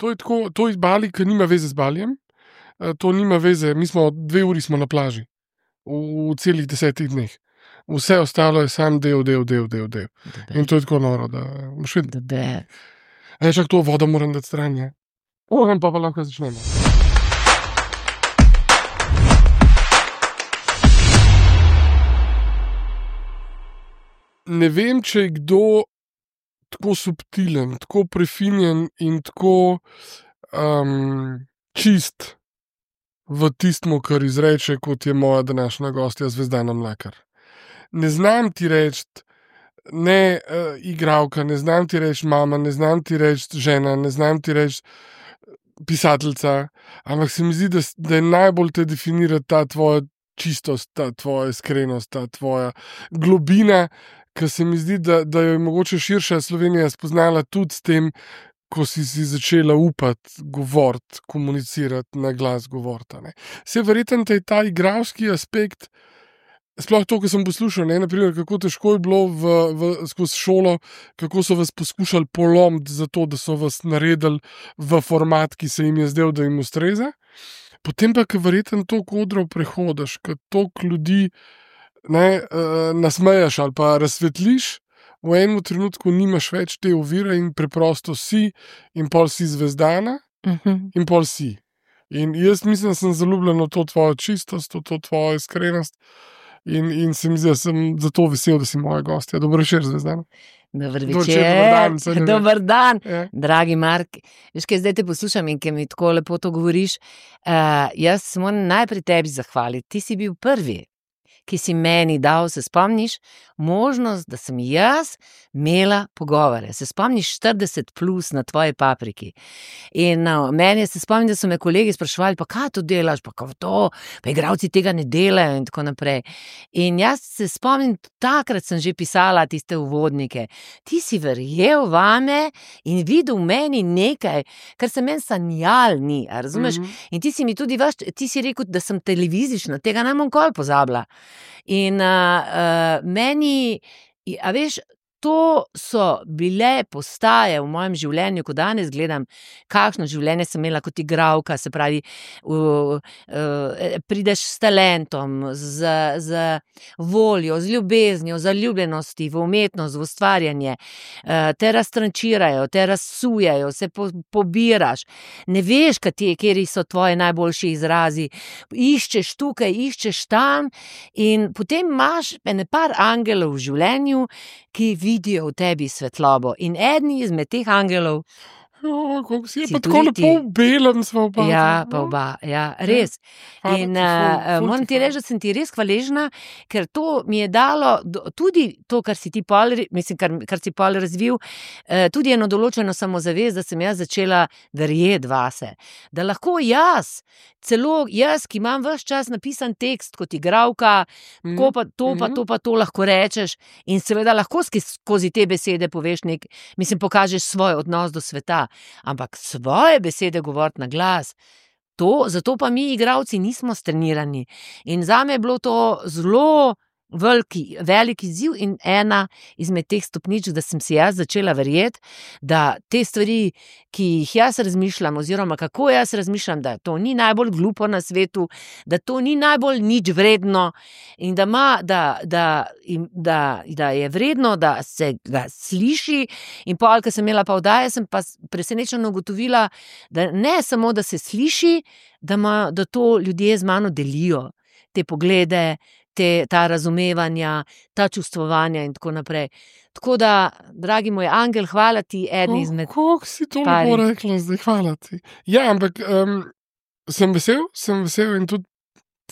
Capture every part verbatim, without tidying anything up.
to je tako, to je Bali, ki nima veze z Balijem, to nima veze, mi smo dve uri smo na plaži v, v celih desetih dneh. Vse ostalo je sam del, del, del, del, del. In to je tako noro, da moš videti. E, čak to vodo moram dati stran, je. Ohem pa pa lahko začnemo. Ne vem, če je kdo tako subtilen, tako prefinjen in tako um, čist v tistmu, kar izreče, kot je moja današnja gostja Zvezdana Mlakar. Ne znam ti reči, ne uh, igralka, ne znam ti reči mama, ne znam ti reči žena, ne znam ti reči pisateljica, ampak se mi zdi, da, da je najbolj te definira ta tvoja čistost, ta tvoja iskrenost, ta tvoja globina, ker se mi zdi, da, da jo je mogoče širša Slovenija spoznala tudi s tem, ko si si začela upati, govoriti, komunicirati, na glas govoriti. Se verjetno te je ta igralski aspekt, sploh to, ko sem poslušal, ne, naprimer, kako težko je bilo v, v, skozi šolo, kako so vas poskušali polomiti za to, da so vas naredili v format, ki se jim je zdel, da jim ustreza. Potem pa, ko verjetno toliko odrov prehodiš, ko toliko ljudi ne, uh, nasmejaš ali pa razsvetliš, v enem trenutku nimaš več te ovire in preprosto si, in pol si Zvezdana, uh-huh. in pol si. In jaz mislim, da sem zaljubljen v to tvojo čistost, v to tvojo iskrenost in, in se mi zdi, da sem zato vesel, da si moja gostja. Dobro večer, Zvezdana. Dobar večer, dobar dan, dobar dan. Ja. Dragi Mark, veš, kaj zdaj te poslušam in kaj mi tako lepo to govoriš, uh, jaz se moram najprej tebi zahvaliti, ti si bil prvi, ki si meni dal, se spomniš, možnost, da sem jaz imela pogovore. Se spomniš štirideset plus na tvoji papriki. In no, meni se spomnim, da so me kolegi spraševali, pa kaj to delaš, pa kaj to, pa igralci tega ne delajo in tako naprej. In jaz se spomnim, takrat sem že pisala tiste uvodnike. Ti si verjel vame in videl v meni nekaj, kar se meni sanjal ni, a razumeš? Mm-hmm. In ti si mi tudi vaš, ti si rekel, da sem televizična, tega ne bom nikoli pozabila. In uh, uh, meni, a veš, to so bile postaje v mojem življenju, ko danes gledam, kakšno življenje sem imela kot igralka, se pravi, uh, uh, prideš s talentom, z, z voljo, z ljubeznijo, zaljubljenosti v umetnost, v ustvarjanje, uh, te raztrančirajo, te razsujejo, se po, pobiraš, ne veš, kateri so tvoji najboljši izrazi, iščeš tukaj, iščeš tam in potem imaš ene par angelov v življenju, ki vidijo v tebi svetlobo. In eden izmed teh angelov Jo, kako si je pa tako lepo v belem sva oba. Ja, pa oba, ja, res. Ja. In uh, moram ti reči, da sem ti res hvaležna, ker to mi je dalo, tudi to, kar si ti pol, mislim, kar, kar si pol razvil, uh, tudi eno določeno samozavest, da sem jaz začela verjeti vase. Da lahko jaz, celo jaz, ki imam ves čas napisan tekst kot igralka, mm. ko pa to, pa to, pa to lahko rečeš in seveda lahko skozi te besede poveš nek, mislim, pokažeš svoj odnos do sveta. Ampak svoje besede govoriti na glas, to, zato pa mi igralci nismo strenirani. In zame je bilo to zelo veliki, veliki izziv in ena izmed teh stopničk, da sem si jaz začela verjeti, da te stvari, ki jih jaz razmišljam, oziroma kako jaz razmišljam, da to ni najbolj glupo na svetu, da to ni najbolj nič vredno in da, ma, da, da, da, da je vredno, da se ga sliši. In pol, ko sem imela pa oddaje, sem pa presenečeno ugotovila, da ne samo, da se sliši, da, ma, da to ljudje z mano delijo, te poglede, Te, ta razumevanja, ta čustvovanja in tako naprej. Tako da, dragi moj angel, hvala ti, eden izmed... Kako si to lepo rekla zdaj, hvala ti. Ja, ampak um, sem vesel, sem vesel in tudi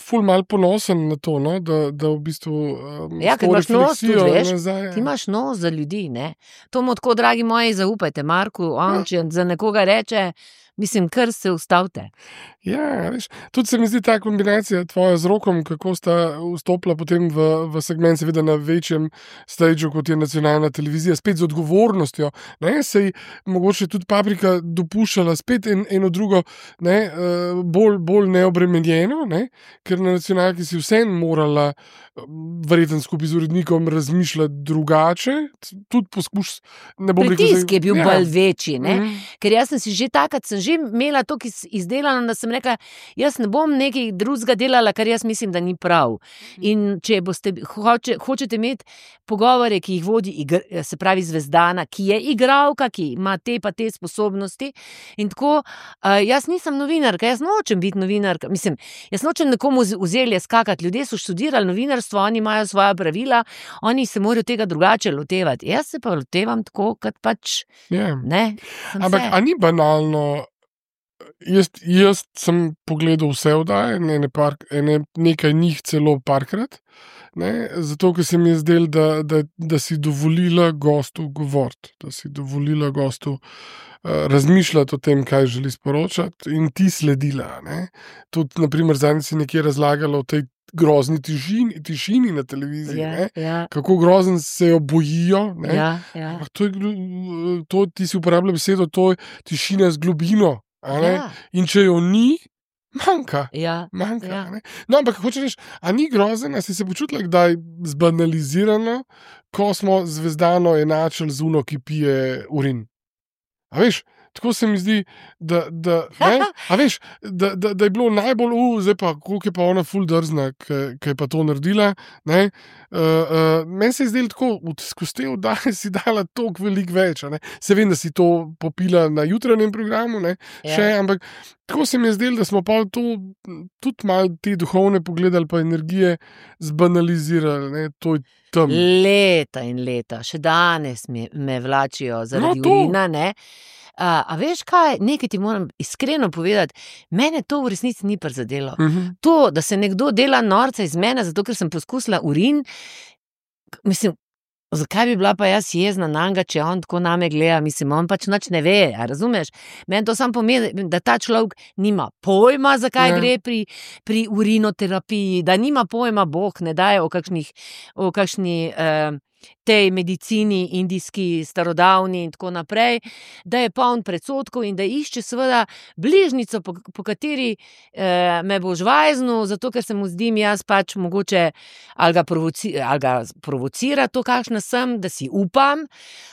ful mal ponosen na to, no? da, da v bistvu um, ja, ker imaš nos tudi, veš, nazaj, ti imaš nos za ljudi, ne? To mu tako, dragi moji, zaupajte Marku, on, če za nekoga reče, mislim, kar se ustavite. Ja, veš, tudi se mi zdi ta kombinacija tvoja z Rokom, kako sta vstopila potem v, v segment, seveda na večjem stageu, kot je nacionalna televizija, spet z odgovornostjo, ne, sej mogoče tudi Paprika dopuščala spet en, eno drugo, ne, bolj, bolj neobremenjeno, ne, ker na nacionalki si vsem morala verjetno skupaj z urednikom razmišljati drugače, tudi poskuš, ne bom rekel... Pritisk je bil ja. bolj večji, ne, mm. ker jaz sem si že takrat, sem že imela to izdelano, da sem rekla, jaz ne bom nekaj drugega delala, kar jaz mislim, da ni prav. In če boste, hoče, hočete imeti pogovore, ki jih vodi, igr, se pravi Zvezdana, ki je igralka, ki ima te pa te sposobnosti in tako, uh, jaz nisem novinarka, jaz nočem biti novinarka, mislim, jaz nočem nekomu vzeli skakati, ljudje so študirali novinarstvo, oni imajo svoja pravila, oni se morajo tega drugače lotevati, jaz se pa lotevam tako, kot pač Yeah. ne. Ampak, a ni banalno, jaz, jaz sem pogledal vse oddaje, ne, ne par, ne, nekaj njih celo parkrat, ne, zato, ker se mi je zdel, da, da, da si dovolila gostu govoriti, da si dovolila gostu uh, razmišljati o tem, kaj želi sporočati in ti sledila. Ne. Tudi, naprimer, zadnjič si nekje razlagala o tej grozni tišini, tišini na televiziji, Ja, ja. kako grozen se jo bojijo. Ne. Ja, ja. To je, to, ti si uporabljal besedo, to je tišina z globino. A ne? Ja. In če jo ni, manjka. Ja, manjka ja. a ne? No, ampak hočeš reči, a ni grozen, a si se počutila kdaj zbanalizirano, ko smo Zvezdano enačili z uno, ki pije urin? A veš, tako se mi zdi, da, da, ne, a veš, da, da, da je bilo najbolj, uh, zdaj pa, koliko je pa ona ful drzna, ki je pa to naredila. Ne, uh, uh, meni se je zdelo tako, skozi te oddaje si dala toliko velik več. A ne. Se vem, da si to popila na jutranjem programu, ne, Ja. še, ampak tako se mi je zdelo, da smo pa to tudi malo te duhovne pogledali, pa energije zbanalizirali. Ne, to je tam. Leta in leta, še danes me, me vlačijo zaradi No, to. urina, ne. A, a veš kaj, nekaj ti moram iskreno povedati, mene to v resnici ni prizadelo. Mhm. To, da se nekdo dela norca iz mene, zato ker sem poskusila urin, mislim, zakaj bi bila pa jaz jezna na njega, če on tako name gleda, mislim, on pač nič ne ve, a razumeš? Meni to samo pomeni, da ta človek nima pojma, zakaj Ja. gre pri, pri urinoterapiji, da nima pojma, Bog ne daje o kakšnih, o kakšni eh, tej medicini, indijski, starodavni in tako naprej, da je poln predsodkov in da išče seveda bližnico, po, po kateri eh, me bo žvajznil, zato ker se mu zdim jaz pač mogoče ali ga, provoci, ali ga provocira to, kakšna sem, da si upam,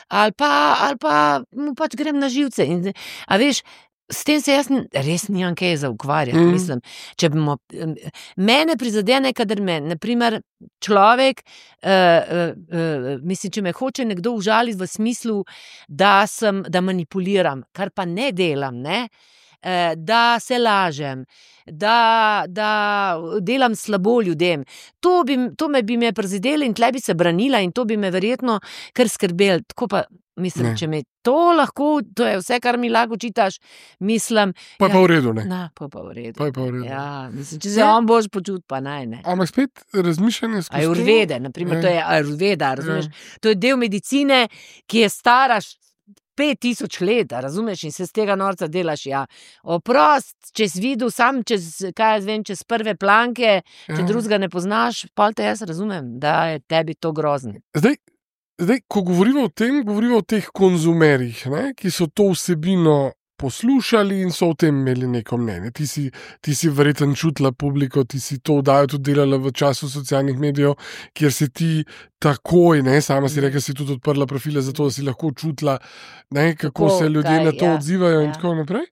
ali pa, ali pa mu pač grem na živce. In, a veš, s tem se jaz ni- res nimam kaj za ukvarjati, Mhm. mislim. Če bomo, mene prizadene, kadar me, naprimer, človek, uh, uh, uh, mislim, če me hoče nekdo užaliti v smislu, da sem, da manipuliram, kar pa ne delam, ne, uh, da se lažem, da, da delam slabo ljudem. To, bi, to me bi me prizadelo in tle bi se branila in to bi me verjetno kar skrbelo. Tako pa, mislim, Ne. če me to lahko, to je vse, kar mi lahko čitaš, mislim, Pa je ja, pa v redu, ne. na, pa pa v redu. Pa je pa v redu. Ja, mislim, če se Ja. on boš počutil, pa naj ne. Ampak spet razmišljanje skozi to- Ajurvede, naprimer, Ja. to je ajurveda, razumeš? To je del medicine, ki je stara š- pet tisoč let, a razumeš, in se z tega norca delaš, ja. Oprost, če si videl sam čez, kaj jaz vem, čez prve planke, če Ja. drugega ne poznaš, pol te jaz razumem, da je tebi to grozno. Zdaj, zdaj, ko govorimo o tem, govorimo o teh konzumerjih, ne, ki so to vsebino poslušali in so o tem imeli neko mnenje. Ti si, ti si verjetno čutila publiko, ti si to oddajo tudi delala v času socialnih medijev, kjer si ti takoj, ne, sama si rekla, si tudi odprla profile, zato da si lahko čutila, ne, kako Kako, se ljudje kaj, na to ja, odzivajo in ja. tako naprej.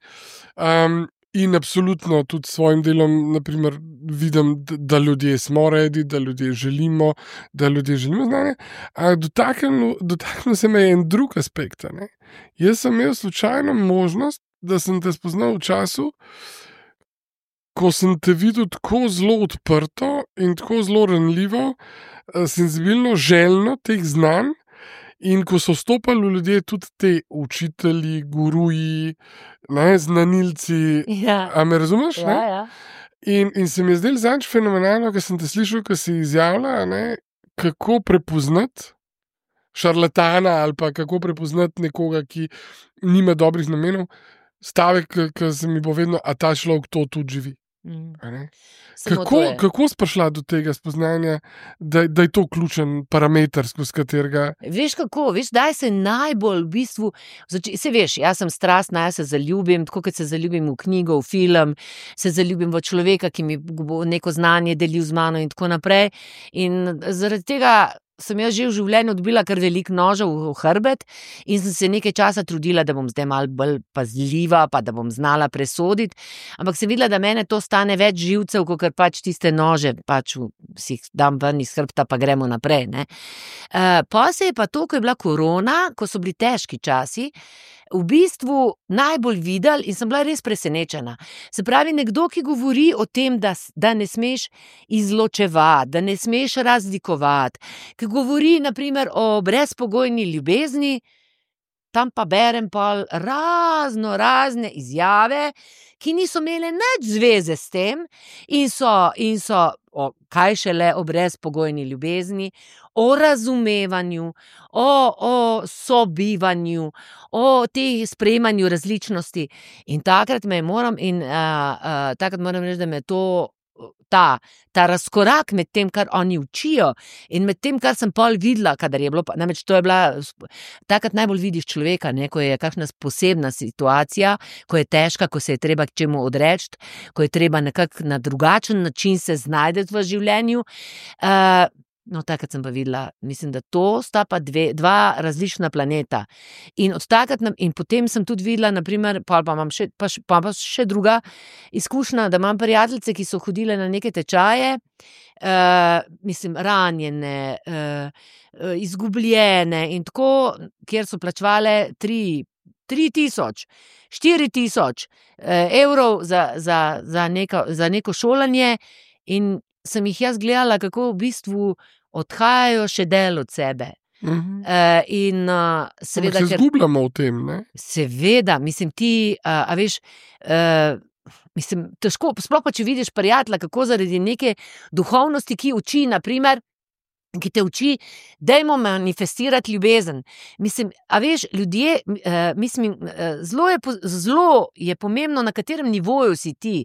Um, In absolutno tudi s svojim delom, naprimer, vidim, d- da ljudje smo redi, da ljudje želimo, da ljudje želimo znanje. Ampak dotaknil, dotaknil se me je en drug aspekt. a Ne? Jaz sem imel slučajno možnost, da sem te spoznal v času, ko sem te videl tako zelo odprto in tako zelo ranljivo, eh, senzibilno, željno teh znanj. In ko so vstopali ljudje, tudi ti učitelji, guruji, ne, znanilci, Ja, a me razumeš? ja, Ne? ja. In, in se mi je zdelo zadnjič fenomenalno, ker sem te slišal, ko si izjavila, ne, kako prepoznati šarlatana ali pa kako prepoznati nekoga, ki nima dobrih namenov. Stavek, ki se mi bo vedno, a ta človek to tudi živi. Mm. a ne. Samo Kako, to je. kako si prišla do tega spoznanja, da, da je to ključen parameter, skozi katerega. Veš kako, veš, daj se najbolj v bistvu, zači, se veš, jaz sem strastna, jaz se zaljubim, tako kot se zaljubim v knjigo, v film, se zaljubim v človeka, ki mi bo neko znanje delil z mano in tako naprej. In zaradi tega sem jaz že v življenju dobila kar veliko nožev v hrbet in sem se nekaj časa trudila, da bom zdaj malo bolj pazljiva, pa da bom znala presoditi, ampak sem videla, da mene to stane več živcev, kakor pač tiste nože, pač si jih dam ven iz hrbta, pa gremo naprej, ne. Uh, pa se je pa to, ko je bila korona, ko so bili težki časi, v bistvu najbolj videl in sem bila res presenečena. Se pravi, nekdo, ki govori o tem, da, da ne smeš izločevati, da ne smeš razlikovati, ki govori naprimer o brezpogojni ljubezni, tam pa berem pol razno razne izjave, ki niso imele nič zveze s tem in so, in so o, kaj šele o brezpogojni ljubezni, o razumevanju, o, o sobivanju, o tej sprejemanju različnosti. In takrat me moram, in, uh, uh, takrat moram reči, da me to Ta, ta razkorak med tem, kar oni učijo in med tem, kar sem pol videla, kadar je bilo, namreč to je bila, takrat najbolj vidiš človeka, ne, ko je kakšna posebna situacija, ko je težka, ko se je treba k čemu odreči, ko je treba nekako na drugačen način se znajdeti v življenju. Uh, No, takrat sem pa videla, mislim, da to sta pa dve, dva različna planeta. In od takrat, in potem sem tudi videla, naprimer, pa, pa imam še, pa, pa, pa še druga izkušnja, da imam prijateljice, ki so hodile na neke tečaje, uh, mislim, ranjene, uh, izgubljene in tako, kjer so plačevale tri, tri tisoč, štiri tisoč uh, evrov za, za, za, neko, za neko šolanje in sem jih jaz gledala, kako v bistvu odhajajo še del od sebe. Mhm. Uh, in uh, seveda, se zgubljamo v tem, ne? Seveda, mislim, ti, uh, a veš, uh, mislim, težko, sploh pa, če vidiš prijatelja, kako zaradi neke duhovnosti, ki uči, naprimer, ki te uči, dajmo manifestirati ljubezen. Mislim, a veš, ljudje, uh, mislim, uh, zelo je, zelo je pomembno, na katerem nivoju si ti.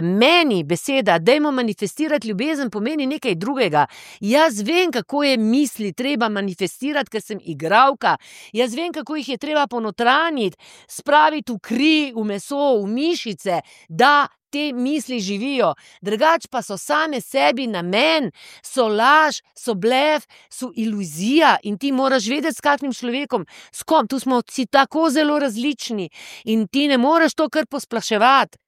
Meni beseda, dajmo manifestirati ljubezen, pomeni nekaj drugega. Jaz vem, kako je misli treba manifestirati, ker sem igralka. Jaz vem, kako jih je treba ponotraniti, spraviti v kri, v meso, v mišice, da te misli živijo. Drugač pa so same sebi namen, so laž, so blef, so iluzija in ti moraš vedeti, s kakšnim človekom, s kom, tu smo si tako zelo različni in ti ne moreš to kar posplaševati.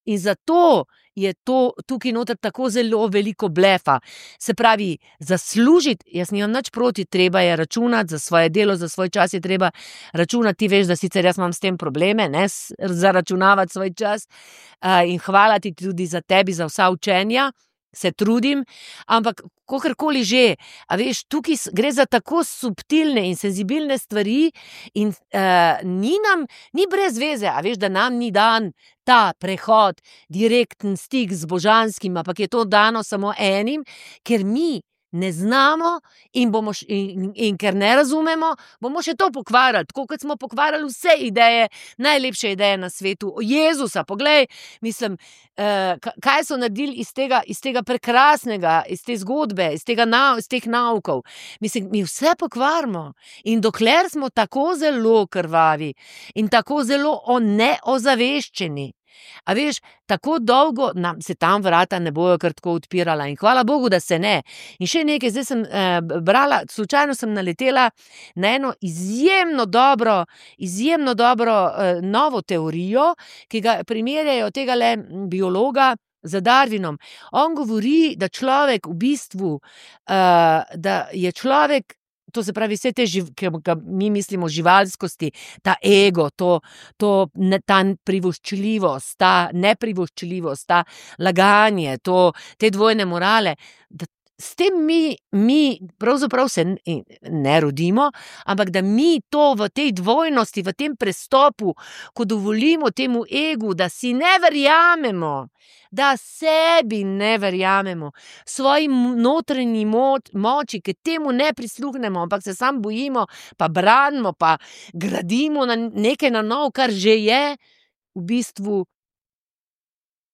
In zato je to tukaj noter tako zelo veliko blefa. Se pravi, zaslužiti, jaz nimam nič proti, treba je računati za svoje delo, za svoj čas je treba računati. Ti veš, da sicer jaz imam s tem probleme, ne, zaračunavati svoj čas uh, in hvala ti tudi za tebi, za vsa učenja, se trudim, ampak kakorkoli že, a veš, tukaj gre za tako subtilne in senzibilne stvari in uh, ni nam, ni brez veze, a veš, da nam ni dan ta prehod, direkten stik z božanskim, ampak je to dano samo enim, ker mi ne znamo in, bomo, in, in ker ne razumemo, bomo še to pokvarjali, tako kot smo pokvarjali vse ideje, najlepše ideje na svetu, o Jezusa, poglej, mislim, eh, kaj so naredili iz tega, iz tega prekrasnega, iz te zgodbe, iz, tega, iz teh naukov, mislim, mi vse pokvarimo in dokler smo tako zelo krvavi in tako zelo neozaveščeni, a veš, tako dolgo nam se tam vrata ne bojo kar tako odpirala in hvala Bogu, da se ne. In še nekaj, zdaj sem eh, brala, slučajno sem naletela na eno izjemno dobro, izjemno dobro eh, novo teorijo, ki ga primerjajo tega le biologa z Darwinom. On govori, da človek v bistvu, eh, da je človek, to se pravi, vse te, ki mi mislimo živalskosti, ta ego, to, to, ne, ta privoščljivost, ta neprivoščljivost, ta laganje, to, te dvojne morale, da s tem mi, mi pravzaprav se ne rodimo, ampak da mi to v tej dvojnosti, v tem prestopu, ko dovolimo temu egu, da si ne verjamemo, da sebi ne verjamemo, svoji notranji moč, moči, ki temu ne prisluhnemo, ampak se sam bojimo, pa branimo, pa gradimo na nekaj na nov, kar že je, v bistvu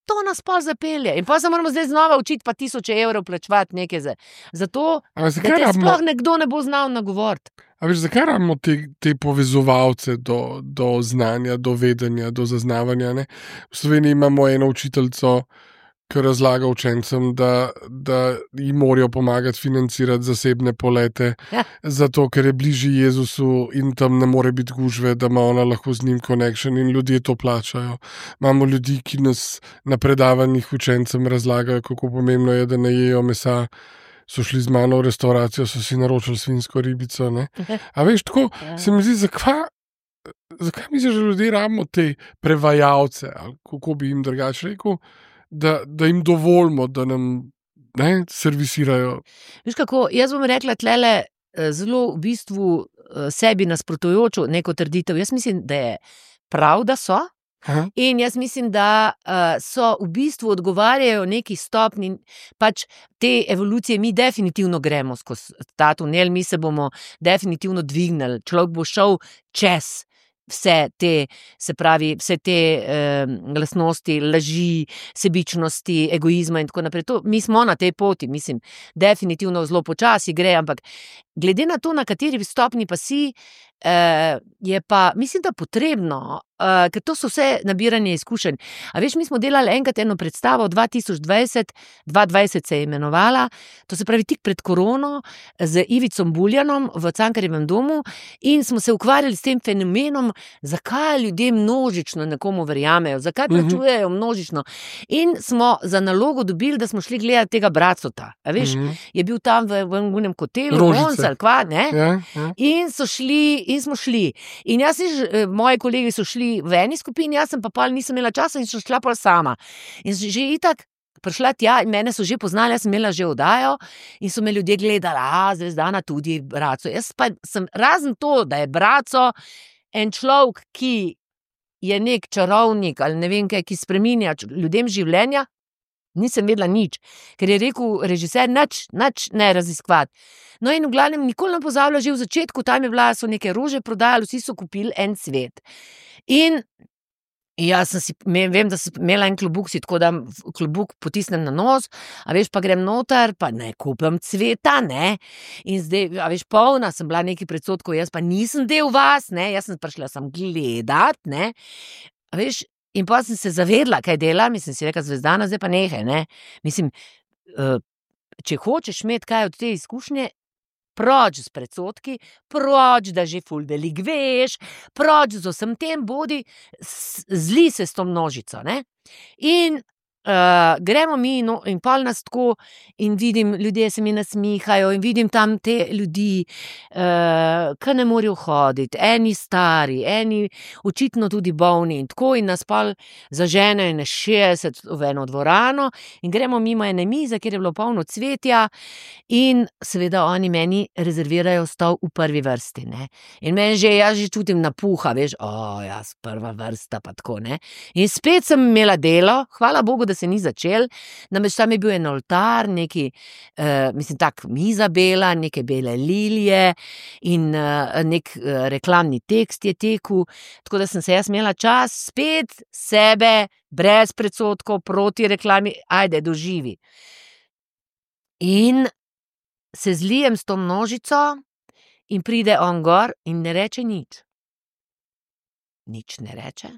to nas pa zapelje. In pa se moramo zdaj znova učiti, pa tisoče evrov plačevati nekaj za, za to, da te rabimo, sploh nekdo ne bo znal nagovoriti. A veš, zakaj rabimo te, te povezovalce do, do znanja, do vedenja, do zaznavanja, ne? V Sloveniji imamo eno učiteljico, ki razlaga učencem, da, da jim morajo pomagati financirati zasebne polete, Ja. zato ker je bližje Jezusu in tam ne more biti gužve, da ima ona lahko z njim connection in ljudje to plačajo. Imamo ljudi, ki nas na predavanjih učencem razlagajo, kako pomembno je, da ne jejo mesa. So šli z mano v restauracijo, so si naročili svinjsko ribico. Ne? A veš, tako se mi zdi, zakaj, zakaj misliš, da ljudje rabimo te prevajalce, ali kako bi jim drugače rekel, da, da jim dovolimo, da nam ne, servisirajo. Veš kako, jaz bom rekla tlele zelo v bistvu sebi nasprotujočo neko trditev. Jaz mislim, da je prav, da so. Aha. In jaz mislim, da uh, so v bistvu odgovarjajo neki stopni, pač te evolucije, mi definitivno gremo skozi ta tunel, mi se bomo definitivno dvignili, človek bo šel čez vse te, se pravi, vse te eh, lastnosti, laži, sebičnosti, egoizma in tako naprej. To, mi smo na tej poti, mislim, definitivno zelo počasi gre, ampak glede na to, na kateri stopni pa si, eh, je pa, mislim, da potrebno, Uh, ker to so vse nabiranje izkušenj. A veš, mi smo delali enkrat eno predstavo dva tisoč dvajset, dva dvajset se je imenovala, to se pravi tik pred korono, z Ivicom Buljanom v Cankarjevem domu in smo se ukvarjali s tem fenomenom, zakaj ljudje množično nekomu verjamejo, zakaj plačujejo množično. In smo za nalogo dobili, da smo šli gledati tega Bracota. A veš, uh-huh. je bil tam v enem hotelu, Ronsal, kva, ne? Ja, ja. In so šli, in smo šli. In jaz in moji kolegi so šli v eni skupini, jaz sem pa pol nisem imela časa in sem šla pol sama. In že itak prišla tja in mene so že poznali, jaz sem imela že oddajo in so me ljudje gledali, a Zvezdana tudi Braco. Jaz pa sem, razen to, da je Braco en človek, ki je nek čarovnik ali ne vem kaj, ki spreminja ljudem življenja, nisem vedela nič, ker je rekel režiser, nič, nič ne raziskovati. No in v glavnem nikoli ne pozabila, že v začetku, tam je bila, so neke rože prodajali, vsi so kupili en cvet. In jaz sem si, vem, da sem imela en klobuk, si tako da klobuk potisnem na nos, a veš, pa grem noter, pa ne kupim cveta, ne. In zdaj, a veš, polna sem bila nekaj predsodkov, jaz pa nisem del vas, ne, jaz sem prišla sem gledat, ne. A veš, in pa sem se zavedla, kaj dela, mislim, si rekla Zvezdana, zdaj pa nehaj, ne. Mislim, če hočeš imeti kaj od te izkušnje, proč z predsodki, proč, da že ful veliko veš, proč z vsem tem, bodi, zli se s to množico, ne. In uh, gremo mi no, in pol nas tako in vidim, ljudje se mi nasmihajo in vidim tam te ljudi, uh, ki ne morejo hoditi, eni stari, eni očitno tudi bolni in tako in nas pol zaženejo na šestdeset v eno dvorano in gremo mimo ene mize, kjer je bilo polno cvetja in seveda oni meni rezervirajo stol v prvi vrsti, ne. In meni že, jaz že čutim napuha, veš, o, jaz prva vrsta pa tako, ne. In spet sem imela delo, hvala Bogu, da se ni začel, namreč tam je bil en oltar, neki, uh, mislim, tak miza bela, neke bele lilije in uh, nek uh, reklamni tekst je tekel, tako da sem se jaz imela čas spet sebe, brez predsodkov, proti reklami, ajde, doživi. In se zlijem s to množico in pride on gor in ne reče nič. Nič ne reče.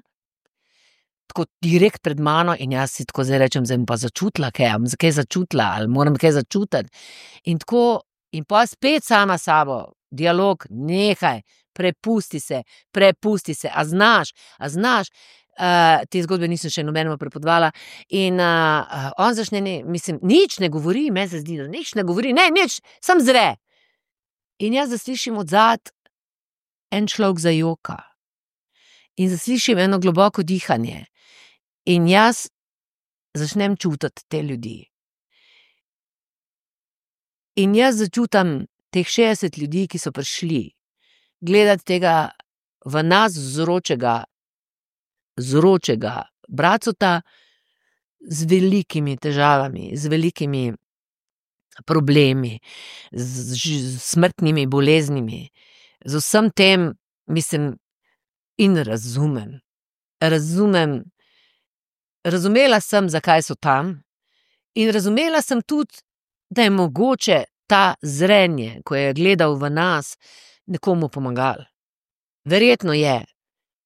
Tako direkt pred mano in jaz si tako zdaj rečem, zdaj pa začutila kaj, am kaj začutila ali moram kaj začutiti. In tako, in pa spet sama sabo, dialog, nehaj, prepusti se, prepusti se, a znaš, a znaš, uh, te zgodbe nisem še nobenemu prepodvala in uh, on začne, ne, mislim, nič ne govori, me se zdi, da nič ne govori, ne, nič, sam zre. In jaz zaslišim odzad en človek zajoka in zaslišim eno globoko dihanje. In jaz začnem čutiti te ljudi. In jaz začutam teh šestdeset ljudi, ki so prišli gledati tega v nas zročega, zročega Bracota z velikimi težavami, z velikimi problemi, z, z smrtnimi boleznimi, z vsem tem, mislim, in razumem. Razumem, razumela sem, zakaj so tam in razumela sem tudi, da je mogoče ta zrenje, ko je gledal v nas, nekomu pomagal. Verjetno je.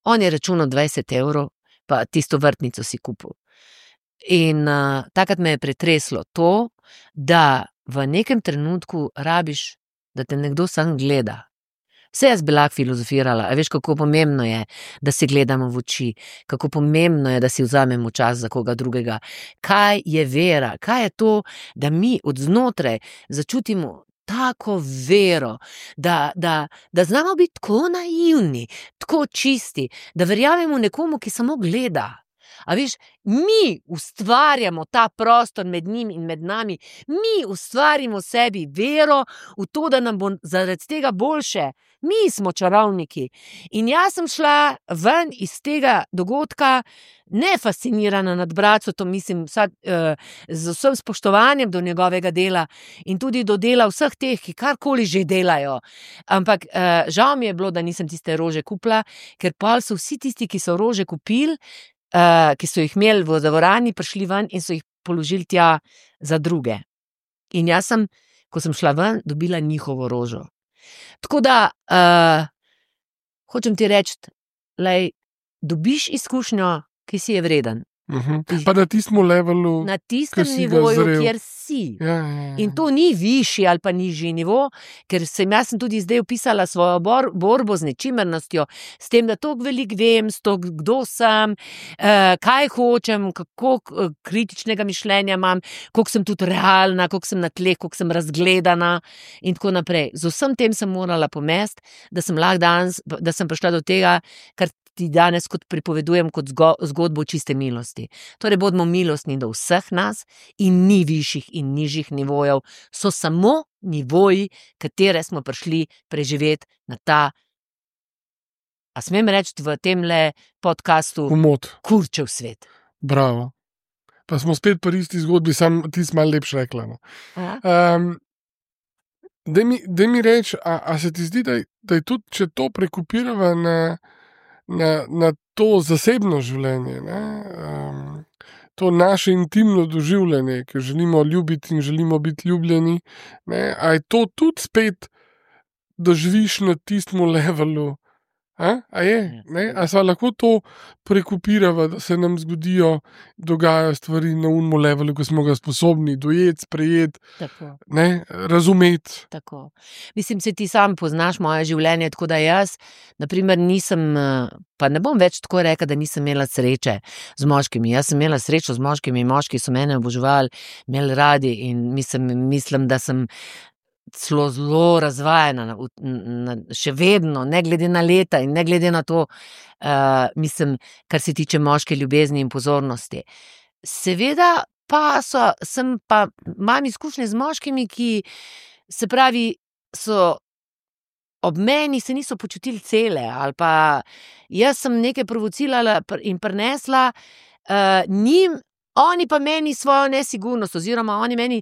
On je računal dvajset evrov, pa tisto vrtnico si kupil. In uh, takrat me je pretreslo to, da v nekem trenutku rabiš, da te nekdo sam gleda. Vse jaz bi lahko filozofirala, a veš, kako pomembno je, da se gledamo v oči, kako pomembno je, da si vzamemo čas za koga drugega. Kaj je vera? Kaj je to, da mi od znotraj začutimo tako vero, da, da, da znamo biti tako naivni, tako čisti, da verjamemo nekomu, ki samo gleda. A veš, mi ustvarjamo ta prostor med njim in med nami, mi ustvarimo sebi vero v to, da nam bo zaradi tega boljše. Mi smo čarovniki. In jaz sem šla ven iz tega dogodka ne fascinirana nad Bracotom, mislim, vsa, uh, z vsem spoštovanjem do njegovega dela in tudi do dela vseh teh, ki karkoli že delajo. Ampak uh, žal mi je bilo, da nisem tiste rože kupila, ker pa so vsi tisti, ki so rože kupili, Uh, ki so jih imeli v dvorani, prišli ven in so jih položili tja za druge. In jaz sem, ko sem šla ven, dobila njihovo rožo. Tako da, uh, hočem ti reči, lej, dobiš izkušnjo, ki si je vreden. Uh-huh. Pa na tistem levelu, na tistem nivoju, kjer si. Ja, ja, ja. In to ni višji ali pa nižji nivo, ker sem jaz sem tudi zdaj opisala svojo bor, borbo z nečimernostjo, s tem, da toliko veliko vem, s to, kdo sem, eh, kaj hočem, kako kritičnega mišljenja imam, koliko sem tudi realna, koliko sem na tleh, koliko sem razgledana in tako naprej. Z vsem tem sem morala pomesti, da sem lahko danes, da sem prišla do tega, kar ti danes kot pripovedujem kot zgodbo čiste milosti. Torej, bodimo milostni do vseh nas in ni višjih in nižjih nivojev, so samo nivoji, katere smo prišli preživeti na ta, a smem reči v temle podcastu, Umot. Kurčev svet. Bravo. Pa smo spet pri isti zgodbi, sam ti si malo lepš rekla. No. Um, daj mi, daj mi reči, a, a se ti zdi, da, da je tudi, če to prekopirava na Na, na to zasebno življenje, ne? Um, to naše intimno doživljanje, ki želimo ljubiti in želimo biti ljubljeni, ne? A je to tudi spet doživiš na tistem levelu? A, a je? Ne? A se lahko to prekopirava, da se nam zgodijo, dogajajo stvari na unmo levelu, ko smo ga sposobni dojeti, sprejeti, ne? Razumeti. Tako. Mislim, se ti sam poznaš moje življenje, tako da jaz, naprimer, nisem, pa ne bom več tako rekla, da nisem imela sreče z moškimi. Jaz sem imela srečo z moškimi, moški so mene oboževali, imeli radi in mislim, mislim da sem celo zelo razvajena, na, na, še vedno, ne glede na leta in ne glede na to, uh, mislim, kar se tiče moške ljubezni in pozornosti. Seveda pa so, sem pa, imam izkušnje z moškimi, ki se pravi, so ob meni se niso počutili cele, ali pa jaz sem nekaj provocirala in prinesla uh, njim, oni pa meni svojo nesigurnost, oziroma oni meni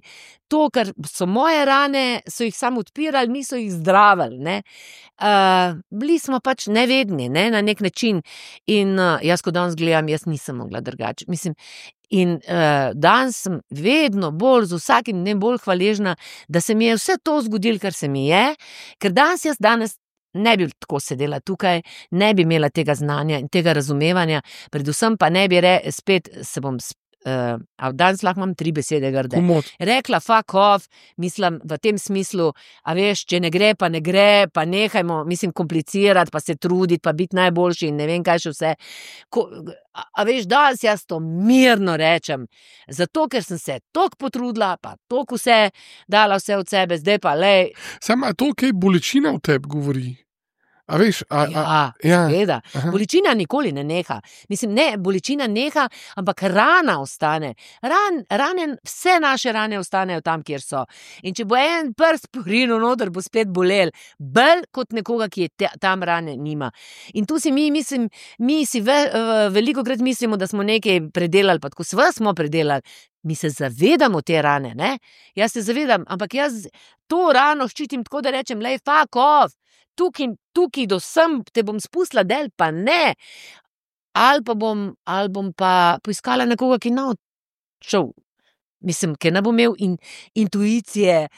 to, kar so moje rane, so jih samo odpirali, niso jih zdravili. Ne? Uh, bili smo pač nevedni, ne? Na nek način. In uh, jaz, ko danes gledam, jaz nisem mogla drugače. Mislim, in uh, danes sem vedno bolj, z vsakim dnem bolj hvaležna, da se mi je vse to zgodilo, kar se mi je, ker danes jaz danes ne bi tako sedela tukaj, ne bi imela tega znanja in tega razumevanja, predvsem pa ne bi re, spet se bom spet, Uh, a danes lahko imam tri besede grde. Umot. Rekla fuck off, mislim v tem smislu, a veš, če ne gre, pa ne gre, pa nehajmo, mislim, komplicirati, pa se truditi, pa biti najboljši in ne vem kaj še vse. Ko, a, a veš, danes jaz to mirno rečem, zato ker sem se toliko potrudila, pa toliko vse dala vse od sebe, zdaj pa lej. Samo to, kaj bolečina v tebi govori. A veš, a, ja, a, ja. Seveda. Bolečina nikoli ne neha. Mislim, ne, bolečina neha, ampak rana ostane. Ran, rane, vse naše rane ostanejo tam, kjer so. In če bo en prst porinil noter, bo spet bolel. Bolj kot nekoga, ki je te, tam rane nima. In tu si mi, mislim, mi si ve, veliko krat mislimo, da smo nekaj predelali, pa tako sve smo predelali. Mi se zavedamo te rane, ne? Jaz se zavedam, ampak jaz to rano ščitim tako, da rečem, lej, fuck off. Tukaj, tukaj do sem te bom spustila del, pa ne. Ali pa bom, ali bom pa poiskala nekoga, ki no šel Mislim, ker ne bo imel in, intuicije,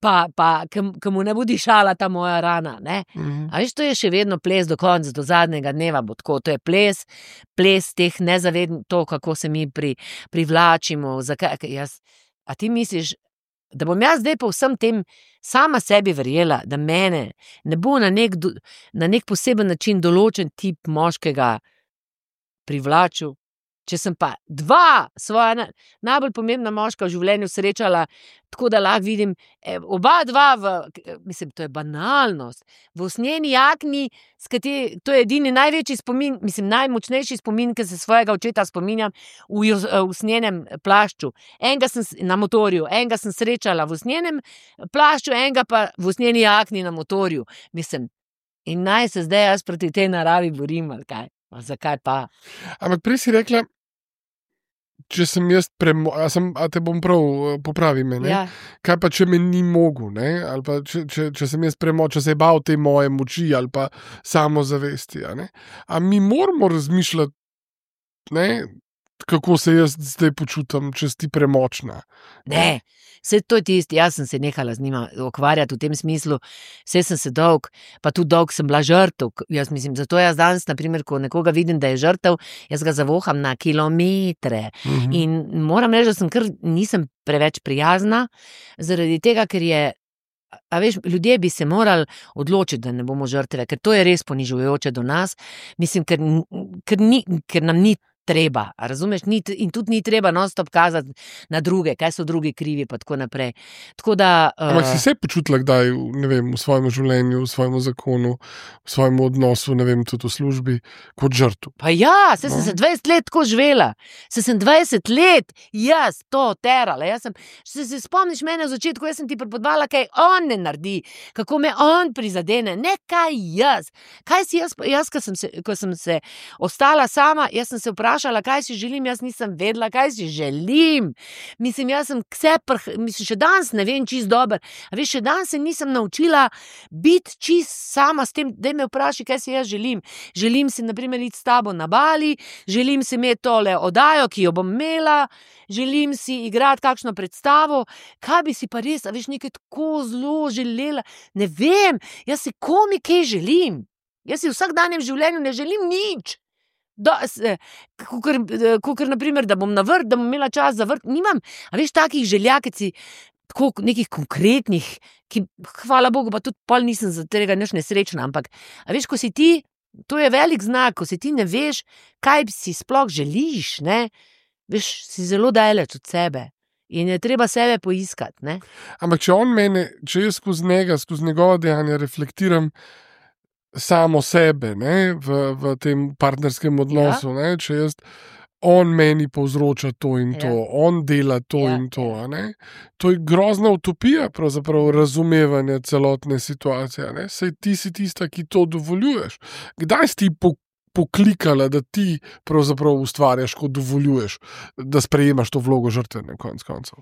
pa, pa ki mu ne bo dišala ta moja rana. Ne? Mhm. A veš, to je še vedno ples do konca, do zadnjega dneva bo tako. To je ples, ples teh nezavednih, to, kako se mi pri, privlačimo. Zakaj, jaz, a ti misliš, da bom jaz zdaj po vsem tem sama sebi verjela, da mene ne bo na nek, na nek poseben način določen tip moškega privlačil? Če sem pa dva svoja na, najbolj pomembna moška v življenju srečala, tako da lahko vidim, eh, oba dva, v, mislim, to je banalnost, v usnjeni jakni, kateri, to je edini največji spomin, mislim, najmočnejši spomin, ki se svojega očeta spominjam, v usnjenem plašču. Enega sem na motorju, enega sem srečala v usnjenem plašču, enega pa v usnjeni jakni na motorju. Mislim, in naj se zdaj jaz proti tej naravi borim, ali kaj? A zakaj pa? Ampak prej si rekla, če sem jaz premo... A, sem, a te bom prav popravi me, ne? Ja. Kaj pa, če me ni mogel, ne? Ali pa, če, če, če sem jaz premo... Če se je bal te moje moči ali pa samozavesti, a ne? A mi moramo razmišljati, ne? Kako se jaz zdaj počutim, če si ti premočna? Ne, vse to je tisti, jaz sem se nehala z njima ukvarjati v tem smislu, vse sem se dolg, pa tudi dolg sem bila žrtev, jaz mislim, zato jaz danes, naprimer, ko nekoga vidim, da je žrtev, jaz ga zavoham na kilometre mhm. in moram reči, da sem kar nisem preveč prijazna, zaradi tega, ker je, a veš, ljudje bi se morali odločiti, da ne bomo žrtve, ker to je res ponižujoče do nas, mislim, ker, ker, ni, ker nam ni treba, razumeš, ni, in tudi ni treba non-stop kazati na druge, kaj so drugi krivi, pa tako naprej. Tako da... Uh... Ampak si se počutila kdaj, ne vem, v svojem življenju, v svojem zakonu, v svojem odnosu, ne vem, tudi v službi, kot žrtev? Pa ja, se no? sem se dvajset let tako živela, se sem dvajset let, jaz to terala, jaz sem, se, se spomniš mene v začetku, jaz sem ti prepodvala, kaj on ne naredi, kako me on prizadene, ne kaj jaz, kaj si jaz, jaz, ko sem se, ko sem se ostala sama, jaz sem se vprašala, kaj si želim, jaz nisem vedela, kaj si želim. Mislim, jaz sem vse prh, mislim, še danes ne vem čist dober, a veš, še danes se nisem naučila biti čist sama s tem, da me vpraši, kaj si jaz želim. Želim si, na primer, iti s tabo na Bali, želim si imeti tole oddajo, ki jo bom imela, želim si igrati kakšno predstavo, kaj bi si pa res, a veš, nekaj tako zelo želela, ne vem, jaz si komi kaj želim. Jaz si v vsakdanjem življenju ne želim nič. Kakor naprimer, da bom na vrt, da bom imela čas za vrt, nimam, a veš, takih želja, ki si tako nekih konkretnih, ki, hvala Bogu, pa tudi pol nisem za tega nič nesrečna, ampak, a veš, ko si ti, to je velik znak, ko si ti ne veš, kaj si sploh želiš, ne, veš, si zelo daleč od sebe in je treba sebe poiskati, ne. Ampak, če on mene, če jaz skozi njega, skozi njegova dejanja reflektiram samo sebe, ne, v, v tem partnerskem odnosu, ja. Ne, če jaz, on meni povzroča to in to, ja. On dela to ja. In to, a ne, to je grozna utopija, pravzaprav razumevanje celotne situacije, ne, saj ti si tista, ki to dovoljuješ. Kdaj si ti po, poklikala, da ti pravzaprav ustvarjaš, ko dovoljuješ, da sprejemaš to vlogo žrtve na konec koncev?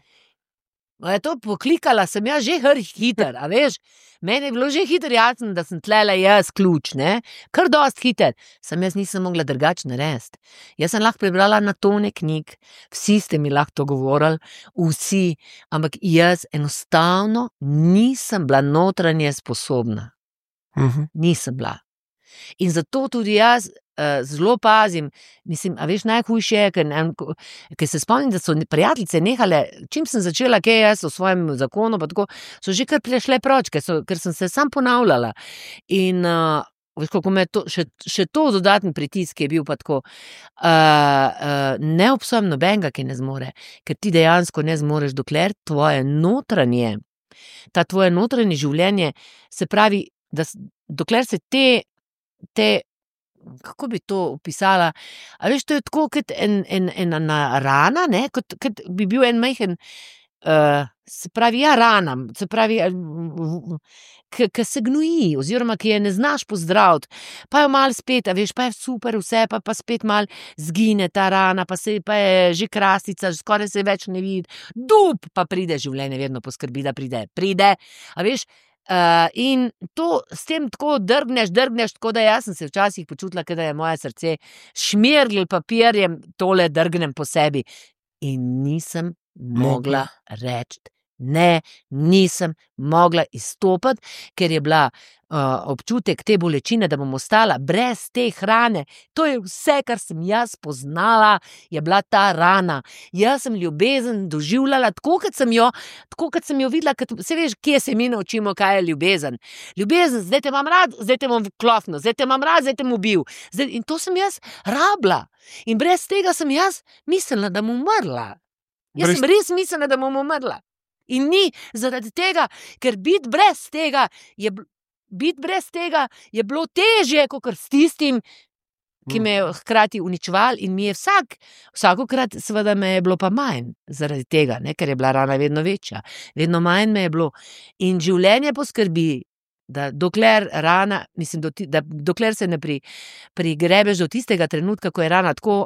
No, je to poklikala, sem jaz že hiter, a veš, meni je bilo že hiter jasno, da sem tlele jaz ključ, ne, kar dost hiter, sem jaz nisem mogla drugače narediti. Jaz sem lahko prebrala na tone knjig, vsi ste mi lahko to govorili, vsi, ampak jaz enostavno nisem bila notranje sposobna. Uh-huh. Nisem bila. In zato tudi jaz uh, zelo pazim, mislim, a veš, najhujše je, ker, ker se spomnim, da so prijateljice nehale, čim sem začela kaj jaz v svojem zakonu, pa tako, so že kar prešle proč, ker, so, ker sem se sam ponavljala. In uh, veš, kako me to, še, še to dodatni pritisk je bil pa tako, uh, uh, ne obsojam nobenega, ki ne zmore, ker ti dejansko ne zmoreš, dokler tvoje notranje, ta tvoje notranje življenje, se pravi, da dokler se te te, kako bi to opisala, a veš, to je tako kot en, en, ena rana, ne, kot, kot bi bil en majhen, uh, se pravi, ja, rana, se pravi, ki se gnoji, oziroma ki je ne znaš pozdraviti, pa jo malo spet, a veš, pa je super vse, pa, pa spet malo zgine ta rana, pa, se, pa je že krastica, skoraj se več ne vidi, dup, pa pride življenje, vedno poskrbi, da pride, pride, a veš, Uh, in to s tem tako drgneš, drgneš, tako da jaz sem se včasih počutila, da je moje srce šmirgl papirjem, tole drgnem po sebi. In nisem mogla reči. Ne, nisem mogla izstopiti, ker je bila uh, občutek te bolečine, da bom ostala brez te hrane. To je vse, kar sem jaz poznala, je bila ta rana. Jaz sem ljubezen doživljala tako, kot sem jo, tako, kot sem jo videla, kot, se veš, kje se mi naučimo, kaj je ljubezen. Ljubezen, zdaj te imam rad, zdaj te bom klofnil, zdaj te imam rad, zdaj te bom ubil. Zdaj, in to sem jaz rabila. In brez tega sem jaz mislila, da bom umrla. Jaz brez... sem res mislila, da bom umrla. In ni zaradi tega, ker biti brez tega je, biti brez tega je bilo težje, kot s tistim, ki me je hkrati uničeval in mi je vsak, vsakokrat seveda me je bilo pa manj zaradi tega, ne, ker je bila rana vedno večja. Vedno manj me je bilo. In življenje poskrbi, da dokler rana, mislim, do, da dokler se ne pri, prigrebeš do tistega trenutka, ko je rana tako,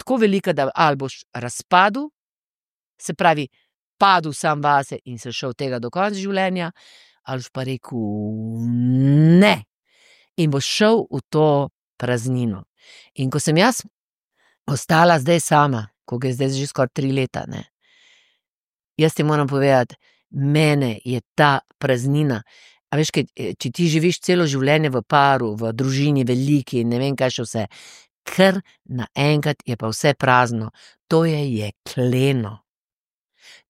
tako velika, da ali boš razpadel, se pravi, padel sam vase in se šel tega do konca življenja, ali pa rekel ne in boš šel v to praznino. In ko sem jaz ostala zdaj sama, ko je zdaj že skoraj tri leta, ne, jaz ti moram povedati, mene je ta praznina, a veš, kaj, če ti živiš celo življenje v paru, v družini veliki, ne vem kaj še vse, ker naenkrat je pa vse prazno, to je jekleno.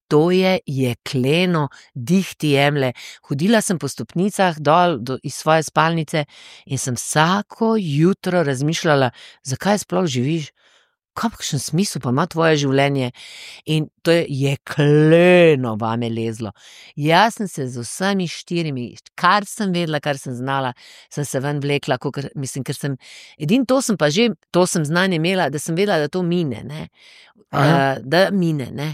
To je jekleno, dih ti jemlje. Hodila sem po stopnicah dol do, iz svoje spalnice in sem vsako jutro razmišljala, zakaj sploh živiš, kakšen smisel pa ima tvoje življenje. In to je jekleno vame lezlo. Jaz sem se z vsemi štirimi, kar sem vedela, kar sem znala, sem se ven vlekla, kakor, mislim, ker sem, edin to sem pa že, to sem znanje imela, da sem vedela, da to mine, ne. Uh, da mine, ne.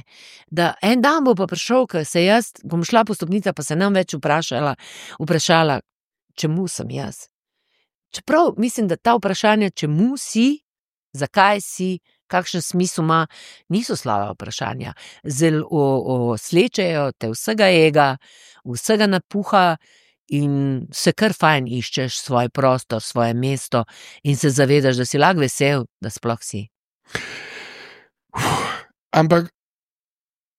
Da en dan bo pa prišel, ko se jaz, bom šla po stopnicah, pa se nam več vprašala, vprašala, čemu sem jaz. Čeprav mislim, da ta vprašanja, čemu si, zakaj si, kakšen smisel ima, niso slaba vprašanja. Zelo slečejo te vsega ega, vsega napuha in se kar fajn iščeš svoj prostor, svoje mesto in se zavedaš, da si lahko vesel, da sploh si. Uf, ampak,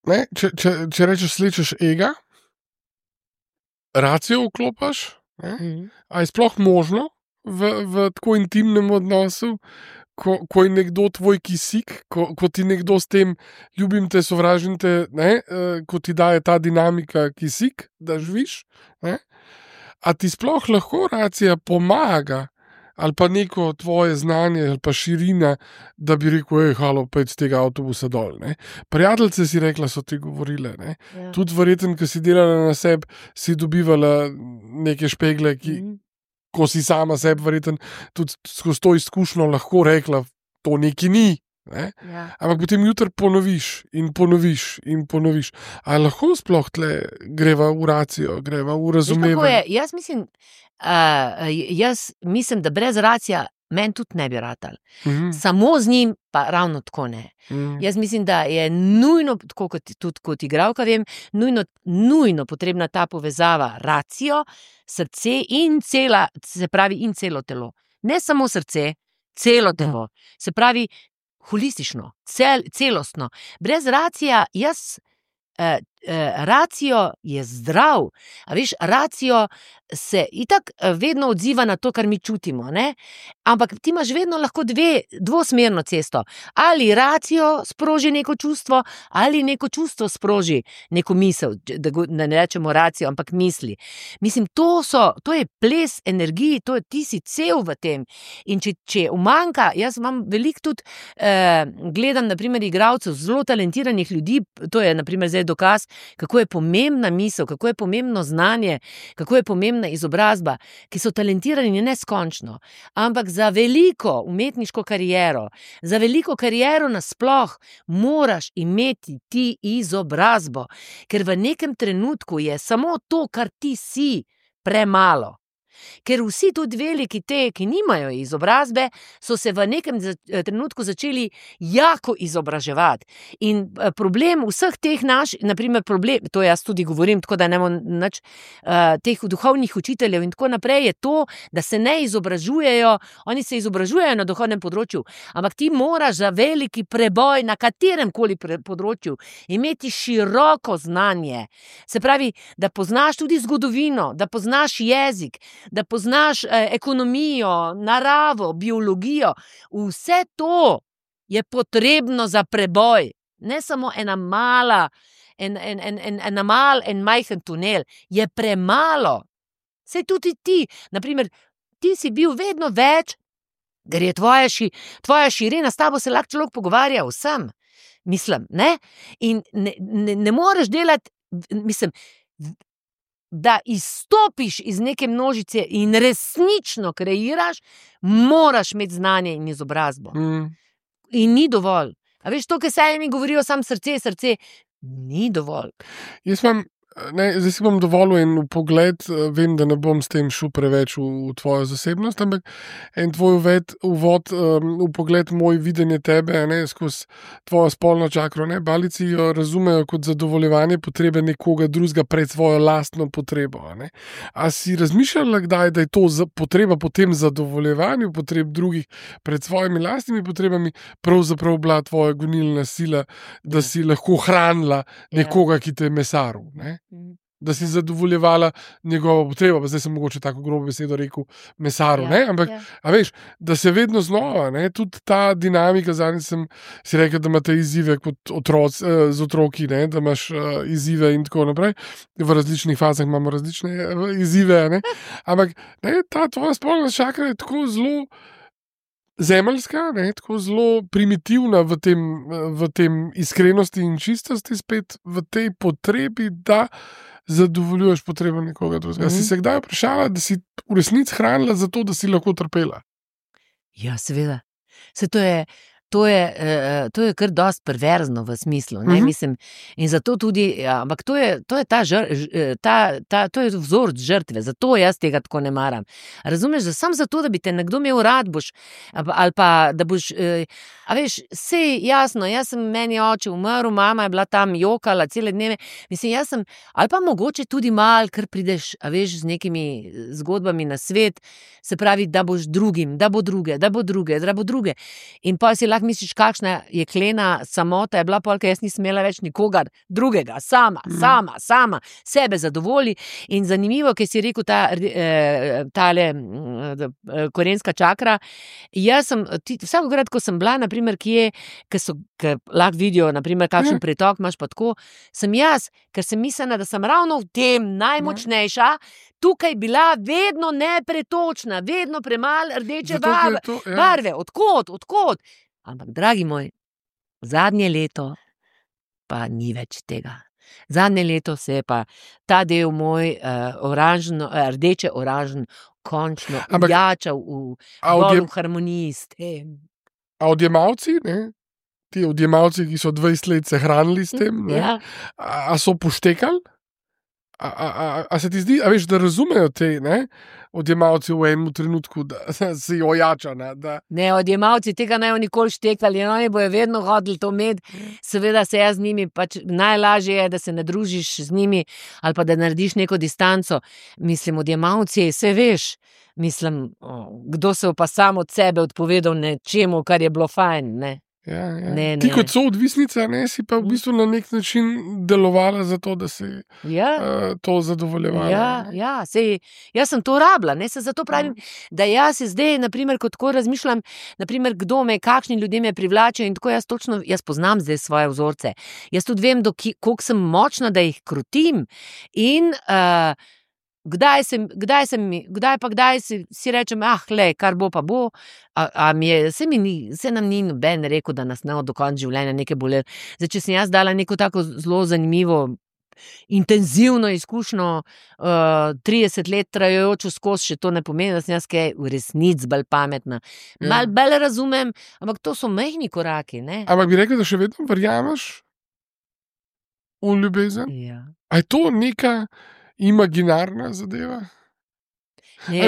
ne, če, če, če rečeš slečeš ega, racijo vklopaš, ne, mm. A je sploh možno v, v tako intimnem odnosu, Ko, ko je nekdo tvoj kisik, ko, ko ti nekdo s tem ljubim te, sovražim te, ne, ko ti daje ta dinamika kisik, da živiš, ne, a ti sploh lahko racija pomaga, ali pa neko tvoje znanje, ali pa širina, da bi rekel, ej, halo, pejt z tega avtobusa dol, ne. Prijateljice si rekla, so ti govorile, ne. Ja. Tudi verjetno, ko si delala na sebi, si dobivala neke špegle, ki mm. ko si sama sebi verjetno tudi skozi to izkušnjo lahko rekla, to neki ni, ne? Ja. Ampak potem jutri ponoviš in ponoviš in ponoviš. A lahko sploh tle greva v racijo, greva v razumevanje? Jaz mislim, uh, jaz mislim, da brez racija meni tudi ne bi ratal. Mm-hmm. Samo z njim pa ravno tako ne. Mm. Jaz mislim, da je nujno, tako kot, tudi kot igralka vem, nujno, nujno potrebna ta povezava racijo, srce in cela, se pravi in celo telo. Ne samo srce, celo telo. Se pravi holistično, cel, celostno. Brez racija jaz, eh, eh, racijo je zdrav. A veš, racijo se itak vedno odziva na to, kar mi čutimo, ne? Ampak ti imaš vedno lahko dve, dvosmerno cesto. Ali racijo sproži neko čustvo, ali neko čustvo sproži neko misel, da, da ne rečemo racijo, ampak misli. Mislim, to so, to je ples energiji, to je, ti si cel v tem. In če, če umanjka, jaz imam veliko tudi, eh, gledam, na primer, igralcev, zelo talentiranih ljudi, to je, na primer, zdaj dokaz, kako je pomembna misel, kako je pomembno znanje, kako je pomembna izobrazba, ki so talentirani neskončno, ampak za veliko umetniško kariero, za veliko kariero nasploh moraš imeti ti izobrazbo, ker v nekem trenutku je samo to, kar ti si, premalo. Ker vsi tudi veliki te, ki nimajo izobrazbe, so se v nekem trenutku začeli jako izobraževati. In problem vseh teh naših, naprimer problem, to jaz tudi govorim, tako da ne bom nič, uh, teh duhovnih učiteljev in tako naprej, je to, da se ne izobražujejo, oni se izobražujejo na duhovnem področju, ampak ti moraš za veliki preboj na katerem koli področju imeti široko znanje. Se pravi, da poznaš tudi zgodovino, da poznaš jezik, da poznaš eh, ekonomijo, naravo, biologijo. Vse to je potrebno za preboj. Ne samo ena mala, en, en, en, en, ena mal, en majhen tunel. Je premalo. Sej tudi ti, naprimer, ti si bil vedno več, ker je tvoja, ši, tvoja širina, s tabo se lahko človek pogovarja vsem. Mislim, ne? In ne, ne, ne moreš delati, mislim, da izstopiš iz neke množice in resnično kreiraš, moraš imeti znanje in izobrazbo. Mm. In ni dovolj. A veš, to, kar se mi govorijo, sam srce, srce, ni dovolj. Jaz imam, ne, zdaj si bom dovolil en pogled, vem, da ne bom s tem šel preveč v, v tvojo zasebnost, ampak en tvoj uved, uvod um, v pogled moj videnje tebe, ne, skozi tvojo spolno čakro, ne, balici jo razumejo kot zadovoljevanje potrebe nekoga drugega pred svojo lastno potrebo, ne. A si razmišljala kdaj, da je to za, potreba po tem zadovoljevanju potreb drugih pred svojimi lastnimi potrebami pravzaprav bila tvoja gonilna sila, da si lahko hranila nekoga, ki te je mesaril, ne? Da si zadovoljevala njegovo potrebo, pa zdaj sem mogoče tako grobo besedo rekel mesaru, ja, ne, ampak, ja. A veš, da se vedno znova, ne, tudi ta dinamika, zadnjič sem si rekel, da imate izzive kot otroc, z otroki, ne, da imaš uh, izzive in tako naprej, v različnih fazah imamo različne izzive, ne, ampak, ne, ta tvoja spolna čakra je tako zelo zemeljska, ne, tako zelo primitivna v tem, v tem iskrenosti in čistosti, spet v tej potrebi, da zadovoljuješ potrebo nekoga drugega. Mm-hmm. Si se kdaj vprašala, da si v resnici hranila za to, da si lahko trpela? Ja, seveda. Se to je, to je, to je kar dosti perverzno v smislu, ne, mm-hmm. mislim, in zato tudi, ja, ampak to je, to je ta, žr, ta, ta, to je vzor žrtve, zato jaz tega tako ne maram. Razumeš, da sam zato, da bi te nekdo imel rad, boš, ali pa, da boš, a veš, sej jasno, jaz sem, meni oče umrl, mama je bila tam jokala cele dneve, mislim, jaz sem, ali pa mogoče tudi mal, ker prideš, a veš, z nekimi zgodbami na svet, se pravi, da boš drugim, da bo druge, da bo druge, da bo druge, in pa si lahko misliš, kakšna jeklena samota je bila, polka jaz nisem imela več nikogar drugega, sama, mm. sama, sama, sebe zadovolji. In zanimivo, ker si rekel ta, tale korenska čakra, jaz sem, vsakokrat, ko sem bila, naprimer, kje, ker so, ker lahko vidijo, naprimer, kakšen mm. pretok imaš pa tako, sem jaz, ker sem mislila, da sem ravno v tem najmočnejša, tukaj bila vedno nepretočna, vedno premalo rdeče barve, to, ja. barve, odkot, odkot. Ampak, dragi moj, zadnje leto pa ni več tega. Zadnje leto se je pa ta del moj uh, oranžno, uh, rdeče-oranžen končno ujačal v, odjem... v harmoniji s tem. A odjemalci, ne? Ti odjemalci, ki so dvajset let se hranili s tem, ne? Ja. A, a so poštekali? A, a, a, a se ti zdi, a veš, da razumejo te, ne, odjemalci v enem trenutku, da si ojača, ne, da... Ne, odjemalci tega ne bojo nikoli štekali, oni bojo vedno hodili to med, seveda se jaz z njimi, pač najlažje je, da se ne družiš z njimi, ali pa da narediš neko distanco, mislim, odjemalci, se veš, mislim, kdo se pa sam od sebe odpovedal nečemu, kar je bilo fajn, ne. Ja, ja. Ne, Ti ne. kot so odvisnica, ne, si pa v bistvu na nek način delovala za to, da si ja. uh, to zadovoljevala. Ja, ja, sej, jaz sem to rabila, ne, se zato pravim, ja. da jaz se zdaj, naprimer, kot ko razmišljam, naprimer, kdo me, kakšni ljudje me privlačijo in tako jaz točno, jaz poznam zdaj svoje vzorce. Jaz tudi vem, koliko sem močna, da jih krutim in uh, Kdaj, sem, kdaj, sem, kdaj pa kdaj si, si rečem, ah, le, kar bo pa bo, a, a mi je, se, mi ni, se nam ni noben rekel, da nas ne od do konca življenja nekaj bole. Zdaj, če sem jaz dala neko tako zelo zanimivo, intenzivno izkušnjo, uh, trideset let trajajočo skozi, še to ne pomeni, da sem jaz kaj v resnici bolj pametna. Ja. Mal bolj razumem, ampak to so majhni koraki, ne? Ampak bi rekel, da še vedno verjameš v ljubezen? Ja. A je to neka imaginarna zadeva?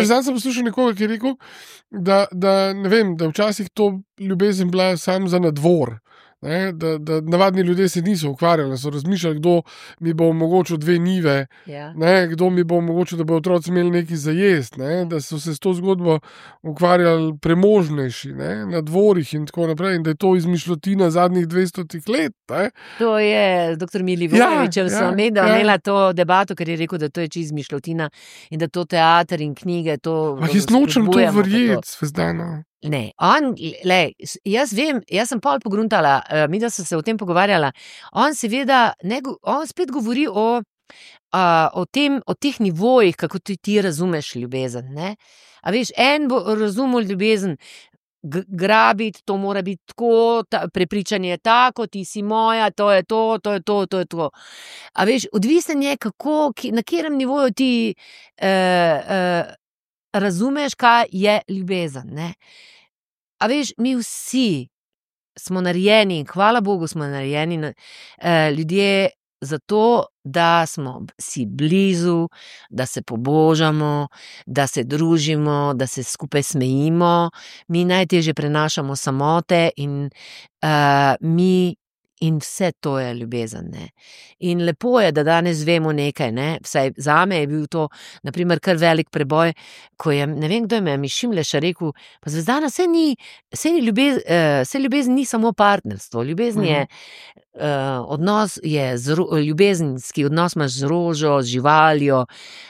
Zdaj sem poslušal nekoga, ki je rekel, da, da, ne vem, da včasih to ljubezen bila sam za nadvor. Ne, da, da navadni ljudje se niso ukvarjali, so razmišljali, kdo mi bo omogočil dve njive, Ja. ne, kdo mi bo omogočil, da bo otroci imeli nekaj za jesti, ne, da so se s to zgodbo ukvarjali premožnejši, ne, na dvorih in tako naprej, in da je to izmišljotina zadnjih dvestotih let. Ne. To je doktor Milivojević, Ja, ja, sem ja, imela, ja. imela to debato, ker je rekel, da to je čisto izmišljotina in da to teater in knjige, to Ah, jaz nočem to spodbujamo pa to. verjeti, Svezdana. Ne, on, lej, s- jaz vem, jaz sem pol pogruntala, uh, mi da sem se o tem pogovarjala. On seveda, ne, go- on spet govori o, uh, o tem, o teh nivojih, kako ti, ti razumeš ljubezen. Ne? A veš, en bo razumel ljubezen, g- grabiti, to mora biti tako, ta, prepričanje je tako, ti si moja, to je to, to je to, to je to. A veš, odvisen je, kako, ki- na katerem nivoju ti uh, uh, razumeš, kaj je ljubezen. Ne? A veš, mi vsi smo narejeni, in hvala Bogu, smo narejeni na- eh, ljudje zato, da smo si blizu, da se pobožamo, da se družimo, da se skupaj smejimo. Mi najtežje prenašamo samote in eh, mi. In vse to je ljubezen. Ne? In lepo je, da danes vemo nekaj. Ne? Vsaj zame je bil to, naprimer, kar velik preboj, ko je, ne vem, kdo je me, Mišimleša rekel, pa Zvezdana, saj ni, saj ni ljubez, uh, saj ljubezen ni samo partnerstvo. Ljubezen je uh, odnos, je z, ro- ljubezenski odnos imaš z rožo, z živaljo,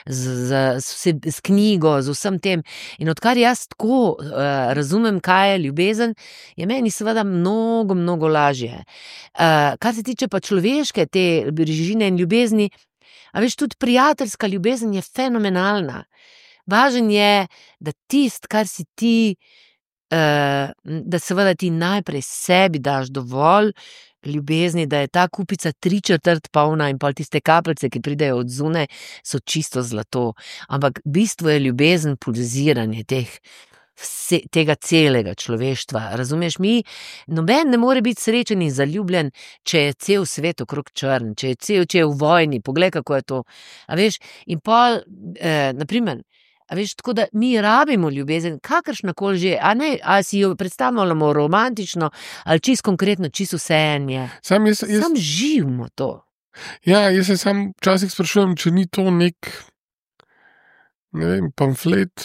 z, z, z, z knjigo, z vsem tem. In odkar jaz tako uh, razumem, kaj je ljubezen, je meni seveda mnogo, mnogo lažje. Uh, kar se tiče pa človeške te bližine in ljubezni, a veš, tudi prijateljska ljubezen je fenomenalna. Važen je, da tist, kar si ti, uh, da seveda ti najprej sebi daš dovolj ljubezni, da je ta kupica tri četrt polna in pol tiste kapljice, ki pridejo od zunaj, so čisto zlato. Ampak bistvo je ljubezen, pulziranje teh Vse, tega celega človeštva. Razumeš, mi, noben ne more biti srečen in zaljubljen, če je cel svet okrog črn, če je cel, če je v vojni, poglej, kako je to. A veš, in pol, eh, naprimer, a veš, tako da mi rabimo ljubezen, kakršnakoli že, a ne, a si jo predstavljamo romantično, ali čisto konkretno, čisto vsejenje. Sam, jaz, jaz, Sam živimo to. ja, jaz se sam včasih sprašujem, če ni to nek, ne vem, pamflet,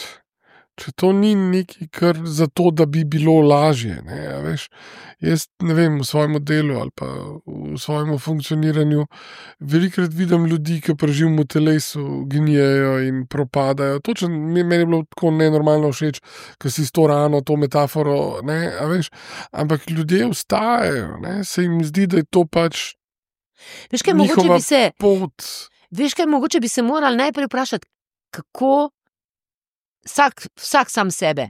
če to ni nekaj, kar zato, da bi bilo lažje. Ne, a veš, jaz ne vem, v svojem delu ali pa v svojem funkcioniranju velikokrat vidim ljudi, ki preživim v telesu, gnijejo in propadajo. Točno mi- meni je bilo tako nenormalno všeč, ker si s to rano, to metaforo, ne, a veš, ampak ljudje vstajajo, ne, se jim zdi, da je to pač Veš, kaj, mogoče njihova bi se, pot. veš, kaj, mogoče bi se morali najprej vprašati, kako vsak, vsak sam sebe,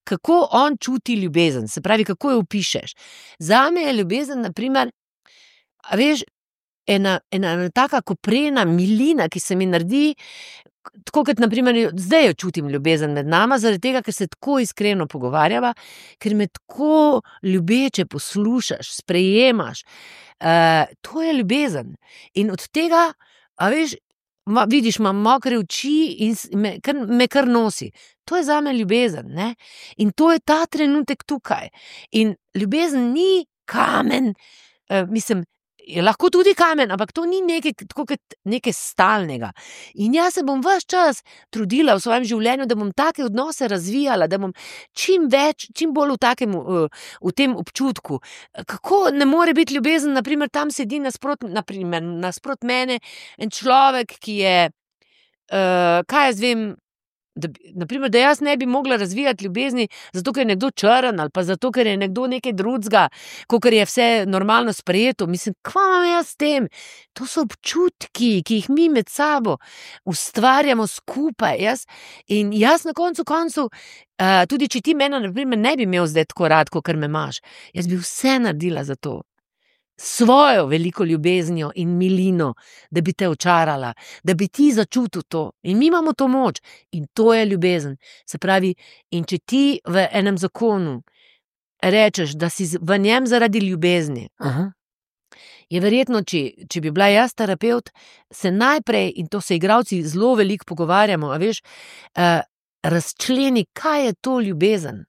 kako on čuti ljubezen, se pravi, kako jo opišeš. Zame je ljubezen, naprimer, a veš, ena, ena, ena taka koprena milina, ki se mi naredi, tako kot naprimer, zdaj jo čutim ljubezen med nama, zaradi tega, ker se tako iskreno pogovarjava, ker me tako ljubeče poslušaš, sprejemaš. Uh, to je ljubezen. In od tega, a veš, ma, vidiš, imam mokre oči in s- me kar, me kar nosi. To je zame ljubezen. Ne? In to je ta trenutek tukaj. In ljubezen ni kamen, uh, mislim, je lahko tudi kamen, ampak to ni nekaj, tako kot nekaj stalnega. In jaz se bom ves čas trudila v svojem življenju, da bom take odnose razvijala, da bom čim več, čim bolj v, takem, uh, v tem občutku. Kako ne more biti ljubezen, naprimer, tam sedi nasprot, naprimer, nasprot mene en človek, ki je, uh, kaj jaz vem, da, bi- naprimer, da jaz ne bi mogla razvijati ljubezni, zato ker je nekdo črn ali pa zato ker je nekdo nekaj drugega, kot je vse normalno sprejeto. Mislim, kva imam jaz s tem? To so občutki, ki jih mi med sabo ustvarjamo skupaj. Jaz, in jaz na koncu koncu, uh, tudi če ti mene, naprimer, ne bi imel zdaj tako rad, kot me imaš, jaz bi vse naredila za to. Svojo veliko ljubeznijo in milino, da bi te očarala, da bi ti začutil to. In mi imamo to moč in to je ljubezen. Se pravi, in če ti v enem zakonu rečeš, da si z- v njem zaradi ljubezni, Aha. je verjetno, če, če bi bila jaz terapeut, se najprej, in to se igravci zelo veliko pogovarjamo, a veš, uh, razčleni, kaj je to ljubezen.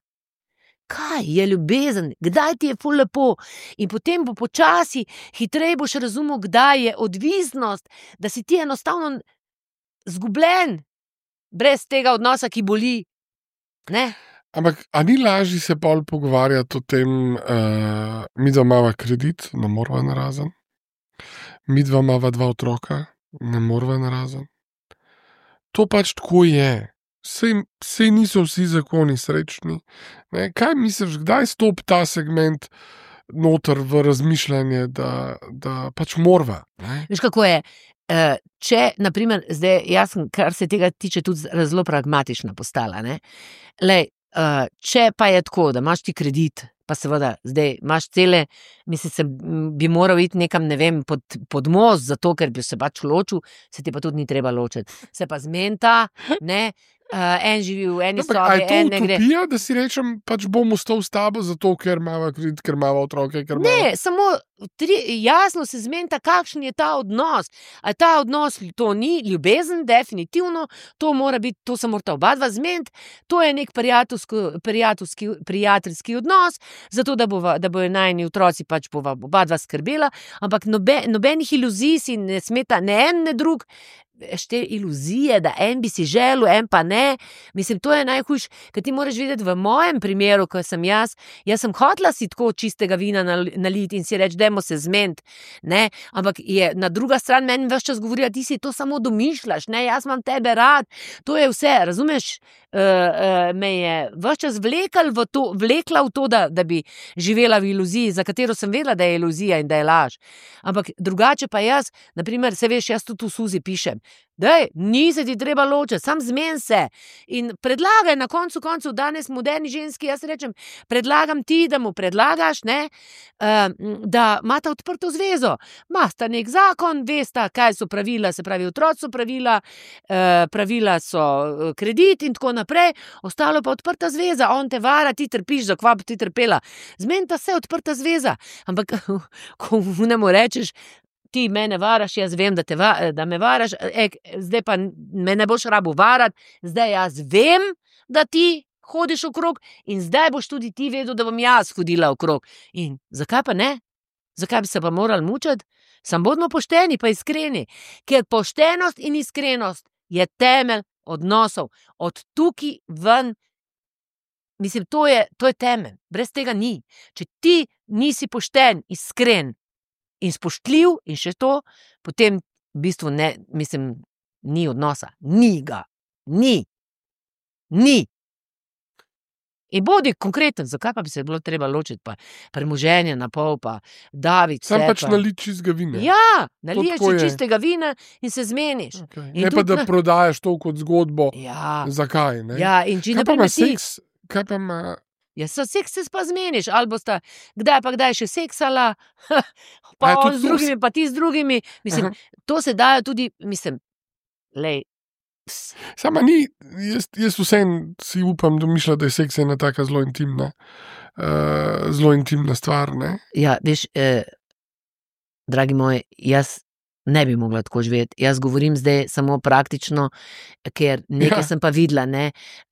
Kaj je ljubezen, kdaj ti je ful lepo in potem bo počasi, hitreje boš razumel, kdaj je odvisnost, da si ti enostavno zgubljen, brez tega odnosa, ki boli. Ne? Ampak, a ni lažje se bolj pogovarjati o tem, uh, mi dva imava kredit, ne morava narazen, mi dva imava dva otroka, ne morava narazen. To pač tako je. Sej, sej niso vsi zakoni srečni. Ne? Kaj misliš, kdaj stopi ta segment noter v razmišljanje, da, da pač morva? Ne? Veš, kako je? Če, naprimer, zdaj, jaz sem, kar se tega tiče, tudi zelo pragmatična postala. Ne? Lej, če pa je tako, da imaš ti kredit, pa seveda, zdaj imaš cele, mislim, se bi moral iti nekam, ne vem, pod, pod most, zato, ker bi se pač ločil, se ti pa tudi ni treba ločiti. Se pa zmenta, ne, Uh, en živi v eni sobi, en ne gre. Je to utopija, da si rečem, pač bom ostal s tabo, zato ker imava kredit, ker imava otroke, ker imava... Ne, samo tri, jasno se zmenta, kakšen je ta odnos. A ta odnos, to ni ljubezen, definitivno, to mora biti, to se morata oba dva zmenti, to je nek prijateljski, prijateljski odnos, zato da, bova, da bojo najni otroci pač bova oba dva skrbela, ampak nobe, nobenih iluzij si ne smeta ne en, ne drug, te iluzije, da en bi si želel, en pa ne. Mislim, to je najhujš, ker ti moraš videti v mojem primeru, ko sem jaz, jaz sem hotela si tako čistega vina naliti in si reči, dajmo se zmeniti, ne, ampak je na druga stran meni ves čas govorila, ti si to samo domišljaš, ne, jaz imam tebe rad, to je vse, razumeš, uh, uh, me je ves čas vlekla v to, vlekla v to, da, da bi živela v iluziji, za katero sem vedela, da je iluzija in da je laž. Ampak drugače pa jaz, naprimer, se veš, jaz tudi v Suzi pišem, daj, ni se ti treba ločiti, sam zmen se in predlagaj na koncu koncu, danes moderni ženski, jaz rečem, predlagam ti, da mu predlagaš, ne, da imata odprto zvezo, imata nek zakon, vesta, kaj so pravila, se pravi, otroci so pravila, pravila so kredit in tako naprej, ostalo pa odprta zveza, on te vara, ti trpiš, za kva bi ti trpela, zmenita se, odprta zveza, ampak ko ne mu rečeš, ti mene varaš, jaz vem, da, te va, da me varaš, ek, zdaj pa me ne boš rabu varati, zdaj jaz vem, da ti hodiš okrog in zdaj boš tudi ti vedel, da bom jaz hodila okrog. In zakaj pa ne? Zakaj bi se pa morali mučati? Sam bodimo pošteni pa iskreni, ker poštenost in iskrenost je temelj odnosov. Od tukaj ven, mislim, to je, to je temelj, brez tega ni. Če ti nisi pošten, iskren, in spoštljiv in še to, potem v bistvu ne, mislim, ni odnosa. Ni ga. Ni. Ni. In bodi konkreten, zakaj pa bi se bilo treba ločiti, pa premoženje na pol, pa daviti se. Sam pač naliti čistega vina. Ja, naliješ si čistega vina in se zmeniš. Okay. Ne pa, da na... prodajaš to kot zgodbo. Ja. Zakaj, ne? Ja, in če kaj ne pa ima seks, kaj pa ima... Ja, so seks se pa zmeniš, ali bosta kdaj pa kdaj še seksala, pa on z drugimi, pa ti z drugimi, mislim, aha, to se dajo tudi, mislim, lej. Sama ni, jaz, jaz vsem si upam domišljati, da je seks ena taka zelo intimna, uh, zelo intimna stvar, ne? Ja, veš, eh, dragi moj, jaz ne bi mogla tako živeti. Jaz govorim zdaj samo praktično, ker nekaj ja. sem pa videla, ne,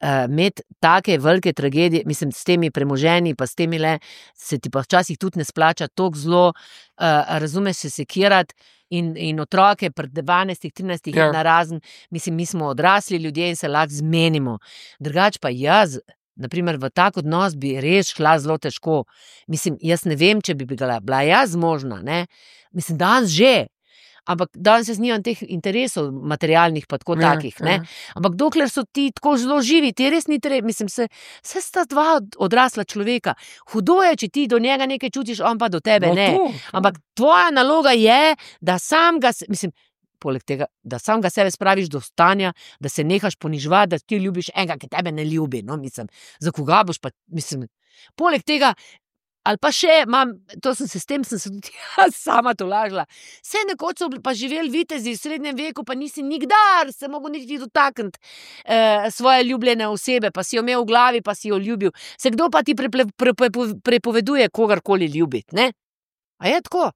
imeti uh, take velike tragedije, mislim, s temi premoženji, pa s temi le, se ti pa včasih tudi ne splača toliko zlo, uh, razumeš se sekirati in, in otroke pred dvanajstih, trinajstih ja. na razen, mislim, mi smo odrasli ljudje in se lahko zmenimo. Drugač pa jaz, naprimer, v tak odnos bi res šla zelo težko. Mislim, jaz ne vem, če bi bila, bila jaz možna, ne, mislim, danes že, ampak danes jaz nimam teh interesov materialnih pa tako ja, takih, ne. Ja. Ampak dokler so ti tako zelo živi, ti res ni treba, mislim, se, se sta dva odrasla človeka. Hudo je, če ti do njega nekaj čutiš, on pa do tebe no, ne. To, to. Ampak tvoja naloga je, da sam ga, mislim, poleg tega, da sam ga sebe spraviš do stanja, da se nehaš ponižvati, da ti ljubiš enega, ki tebe ne ljubi, no, mislim, za koga boš pa, mislim, poleg tega, ali pa še, mam, to sem se s tem, sem se tudi jaz sama tolažila. Vse nekoč so pa živeli vitezi v srednjem veku, pa nisi nikdar se mogel niti dotakniti eh, svoje ljubljene osebe, pa si jo imel v glavi, pa si jo ljubil. Se kdo pa ti preple, pre, pre, prepoveduje kogarkoli ljubiti, ne? A je tako?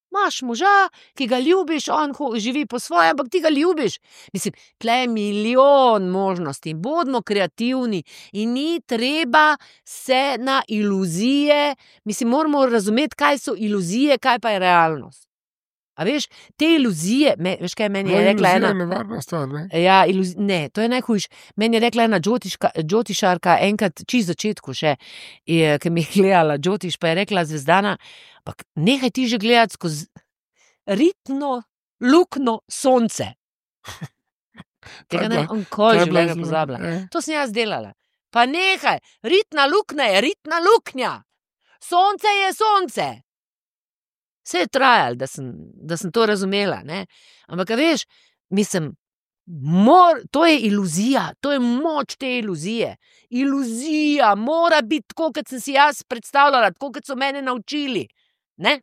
Imaš moža, ki ga ljubiš, on živi po svoje, ampak ti ga ljubiš. Mislim, tle je milijon možnosti, bodimo kreativni in ni treba se na iluzije, mislim, moramo razumeti, kaj so iluzije, kaj pa je realnost. A veš, te iluzije, me, veš kaj meni je rekla ena... Iluzija je nevarna stvar, ne? Ja, iluz, ne, to je najhujš. Meni je rekla ena džotiška, džotišarka, enkrat čist začetku še, je, ki mi je gledala džotiš, pa je rekla Zvezdana, ampak nehaj ti že gledati skozi ritno, lukno sonce. Tega ne bom kol življenja pozabila. Eh. To sem jaz delala. Pa nehaj, ritna luknja je ritna luknja. Sonce je sonce. Vse je trajalo, da sem, da sem to razumela, ne. Ampak, a veš, mislim, mor, to je iluzija, to je moč te iluzije. Iluzija mora biti tako, kot sem si jaz predstavljala, tako, kot so mene naučili, ne.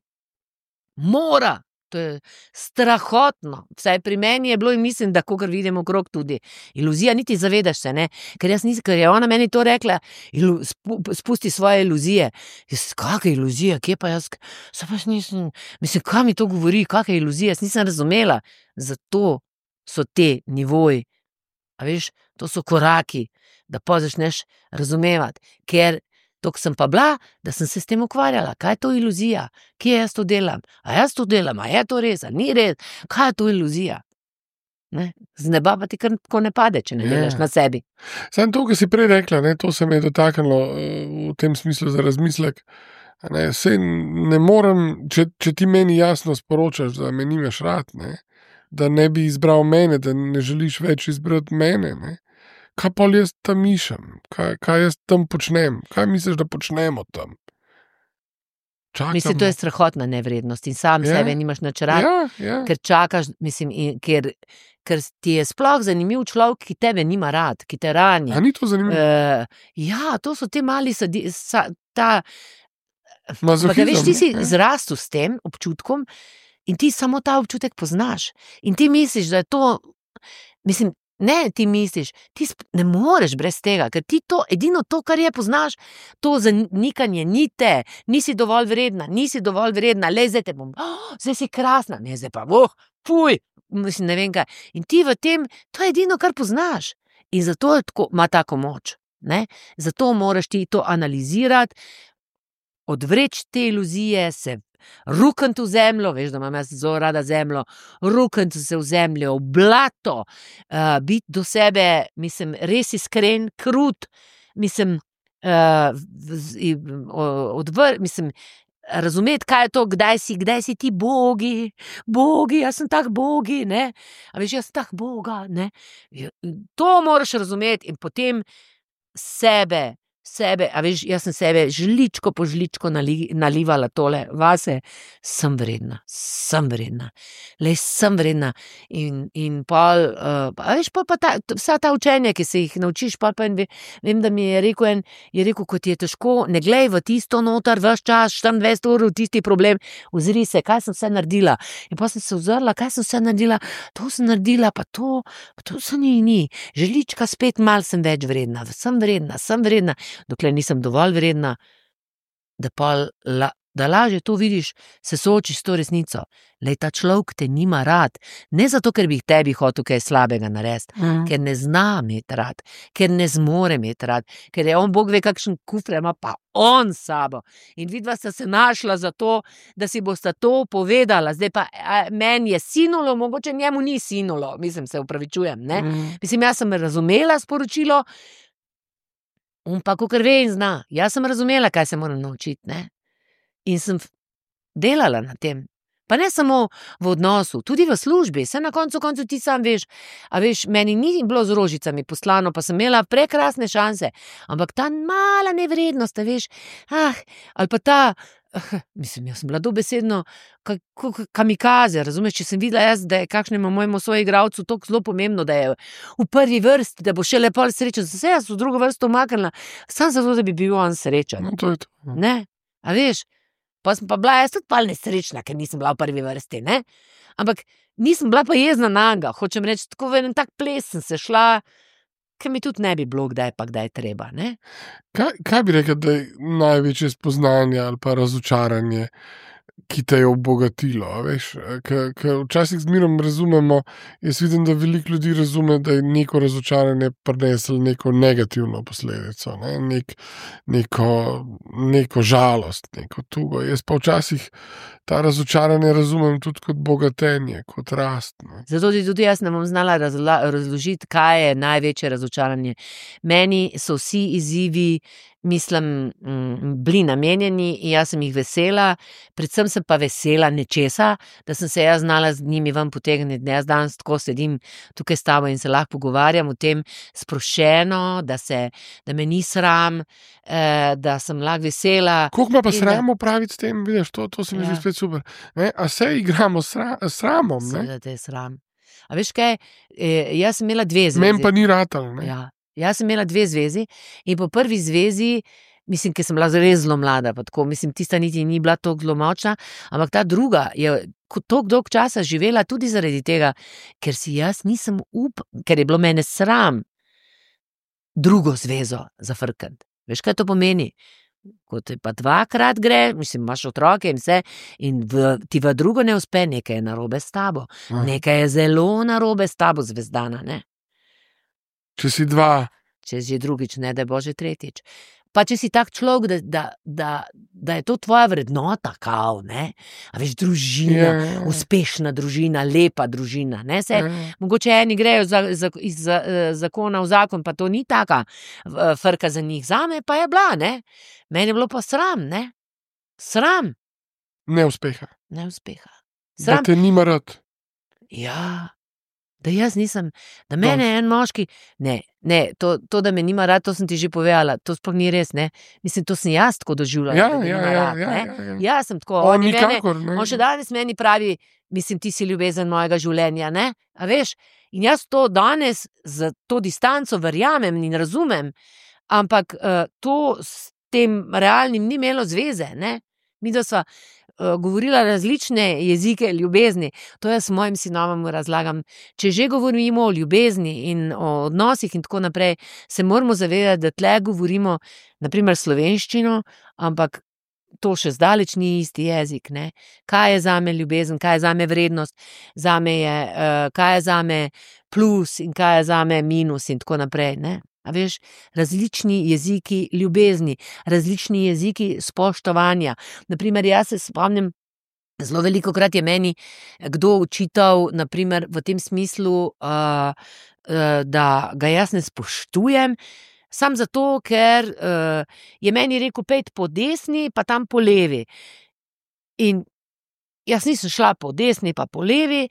Mora. To je strahotno. Vsaj pri meni je bilo in mislim, da kakor vidim okrog tudi. Iluzija, niti zavedaš se, ne. Ker jaz nisem, ker je ona meni to rekla, ilu, spu, spusti svoje iluzije. Jaz, kakve iluzije, kje pa jaz, se pač nisem, mislim, kaj mi to govori, kakve iluzije, jaz nisem razumela. Zato so te nivoji, a veš, to so koraki, da pa začneš razumevati, ker tok sem pa bila, da sem se s tem ukvarjala. Kaj je to iluzija? Kje jaz to delam? A jaz to delam? A je to res? A ni res? Kaj je to iluzija? Ne? Z neba pa ti kar tako ne pade, če ne delaš na sebi. Samo to, kar si prej rekla, ne, to se me je dotaknilo v tem smislu za razmislek. Ne, sej ne morem, če, če ti meni jasno sporočaš, da me nimaš rad, ne, da ne bi izbral mene, da ne želiš več izbrati mene, ne. Kaj pa jaz tam mišem? Kaj, kaj jaz tam počnem? Kaj misliš, da počnemo tam? Čakamo. Mislim, to je strahotna nevrednost in sam ja. Sebe nimaš nič rad, ja, ja. Ker čakaš, mislim, in, ker, ker ti je sploh zanimiv človek, ki tebe nima rad, ki te rani. A ni to zanimivo? Uh, ja, to so te mali sadi, sa, ta... Mazohizem. Veš, ti si ja. Zrastel s tem občutkom in ti samo ta občutek poznaš. In ti misliš, da je to, mislim, ne, ti misliš, ti ne moreš brez tega, ker ti to, edino to, kar je poznaš, to zanikanje ni te, nisi dovolj vredna, nisi dovolj vredna, le zdaj te bom, oh, zdaj si krasna, ne, zdaj pa, oh, fuj, mislim, ne vem kaj. In ti v tem, to je edino, kar poznaš. In zato je tako, ima tako moč, ne, zato moraš ti to analizirati, odvreči te iluzije, se rukniti v zemljo, veš, da imam jaz zelo rada zemljo, rukniti se v zemljo, v blato, uh, biti do sebe, mislim, res iskren, krut, mislim, uh, odvr, mislim, razumeti, kaj je to, kdaj si, kdaj si ti bogi, bogi, jaz sem tak bogi, ne, a veš, jaz sem tak boga, ne, to moraš razumeti in potem sebe, sebe, a veš, jaz sem sebe žličko po žličko nali, nalivala tole vase, sem vredna, sem vredna, le sem vredna in, in pol, uh, a veš, pol pa ta, vsa ta učenja, ki se jih naučiš, pol pa en, vem, da mi je rekel en, je rekel, kot je težko, ne glej v tisto notar, ves čas, štiriindvajset ur v tisti problem, ozri se, kaj sem vse naredila, in pa sem se ozrla, kaj sem vse naredila, to sem naredila, pa to, pa to se ni, ni, žlička spet mal sem več vredna, sem vredna, sem vredna, dokler nisem dovolj vredna, da, pa la, da lažje to vidiš, se soočiš s to resnico. Lej, ta človek te nima rad, ne zato, ker bi tebi hotel kaj slabega narediti, mm. ker ne zna imeti rad, ker ne zmore imeti rad, ker je on, Bog ve, kakšen kufre ima pa on sabo. In vidva sta se našla za to, da si bosta to povedala. Zdaj pa meni je sinulo, mogoče njemu ni sinulo, mislim, se upravičujem, ne. Mm. Mislim, jaz sem razumela sporočilo, on pa kakor ve in zna. Jaz sem razumela, kaj se moram naučiti, ne. In sem delala na tem. Pa ne samo v odnosu, tudi v službi. Se na koncu koncu ti sam veš, a veš, meni ni bilo z rožicami poslano, pa sem imela prekrasne šanse. Ampak ta mala nevrednost, a veš, ah, ali pa ta, ah, mislim, jaz sem bila dobesedno kamikaze, razumeš, če sem videla jaz, da je kakšnemu mojemu soigralcu to zelo pomembno, da je v prvi vrsti, da bo še lepo srečen, se jaz v drugo vrsto umaknila, samo zato, da bi bil on srečen. No, to je to. Ne, a veš, pa sem pa bila jaz tudi pal nesrečna, ker nisem bila v prvi vrsti, ne, ampak nisem bila pa jezna na njega, hočem reči, tako v en tak ples sem se šla, ker mi tudi ne bi bilo kdaj pa kdaj treba, ne. Kaj, kaj bi rekel, da je največje spoznanje ali pa razočaranje ki te je obogatilo. Veš, ker včasih zmerom razumemo, jaz vidim, da veliko ljudi razume, da je neko razočaranje prineslo neko negativno posledico, ne? Nek, neko, neko žalost, neko tugo. Jaz pa včasih ta razočaranje razumem tudi kot bogatenje, kot rast. Ne? Zato tudi jaz ne bom znala razla, razložiti, kaj je največje razočaranje. Meni so vsi izzivi, mislim, bili namenjeni in jaz sem jih vesela, predvsem sem pa vesela nečesa, da sem se jaz znala z njimi ven potegniti. Jaz danes tako sedim tukaj s tabo in se lahko pogovarjam o tem sproščeno, da, se, da me ni sram, eh, da sem lahko vesela. Koliko me pa sram opraviti s tem, vidiš, to, to se mi zdi spet super. Ne? A se igramo s sra, sramom? Seveda te je sram. A veš kaj, eh, jaz sem imela dve zvezi. Meni pa ni ratal. Ne? Ja. Jaz sem imela dve zvezi in po prvi zvezi, mislim, ker sem bila res zelo mlada, pa tako, mislim, tista niti ni bila tako zelo močna, ampak ta druga je tako dolg časa živela tudi zaradi tega, ker si jaz nisem up, ker je bilo mene sram drugo zvezo zafrkati. Veš, kaj to pomeni? Ko te pa dvakrat gre, mislim, imaš otroke in vse, in v, ti v drugo ne uspe, nekaj je narobe s tabo. Aha. Nekaj je zelo narobe s tabo, zvezdana, ne? Če si dva. Če si drugič, ne da je bože tretjič. Pa če si tak človek, da, da, da, da je to tvoja vrednota, kao, ne? A veš, družina, yeah. Uspešna družina, lepa družina, ne? Se, yeah. Mogoče eni grejo za, za, iz za, zakona v zakon, pa to ni taka frka za njih. Zame pa je bila, ne? Meni je bilo pa sram, ne? Sram. Neuspeha. Neuspeha. Sram. Da te nima rad. Ja. Da jaz nisem, da mene je en moški, ne, ne, to, to, da me nima rad, to sem ti že povedala, to sploh ni res, ne, mislim, to sem jaz tako doživljala, ja, da me ja, nima ja, rad, ja, ne, ja, ja. Jaz sem tako, on, on, nikakor, mene, on še danes meni pravi, mislim, ti si ljubezen mojega življenja, ne, a veš, in jaz to danes za to distanco verjamem in razumem, ampak uh, to s tem realnim ni imelo zveze, ne, mi da sva govorila različne jezike ljubezni, to jaz mojim sinovom razlagam. Če že govorimo o ljubezni in o odnosih in tako naprej, se moramo zavedati, da tle govorimo naprimer slovenščino, ampak to še zdaleč ni isti jezik, ne. Kaj je zame ljubezen, kaj je zame vrednost, zame je, uh, kaj je zame plus in kaj je zame minus in tako naprej, ne. A veš, različni jeziki ljubezni, različni jeziki spoštovanja. Naprimer, jaz se spomnim, zelo velikokrat je meni kdo očital, naprimer, v tem smislu, uh, uh, da ga jaz ne spoštujem, sam zato, ker uh, je meni rekel, pejt po desni, pa tam po levi. In jaz nisem šla po desni, pa po levi,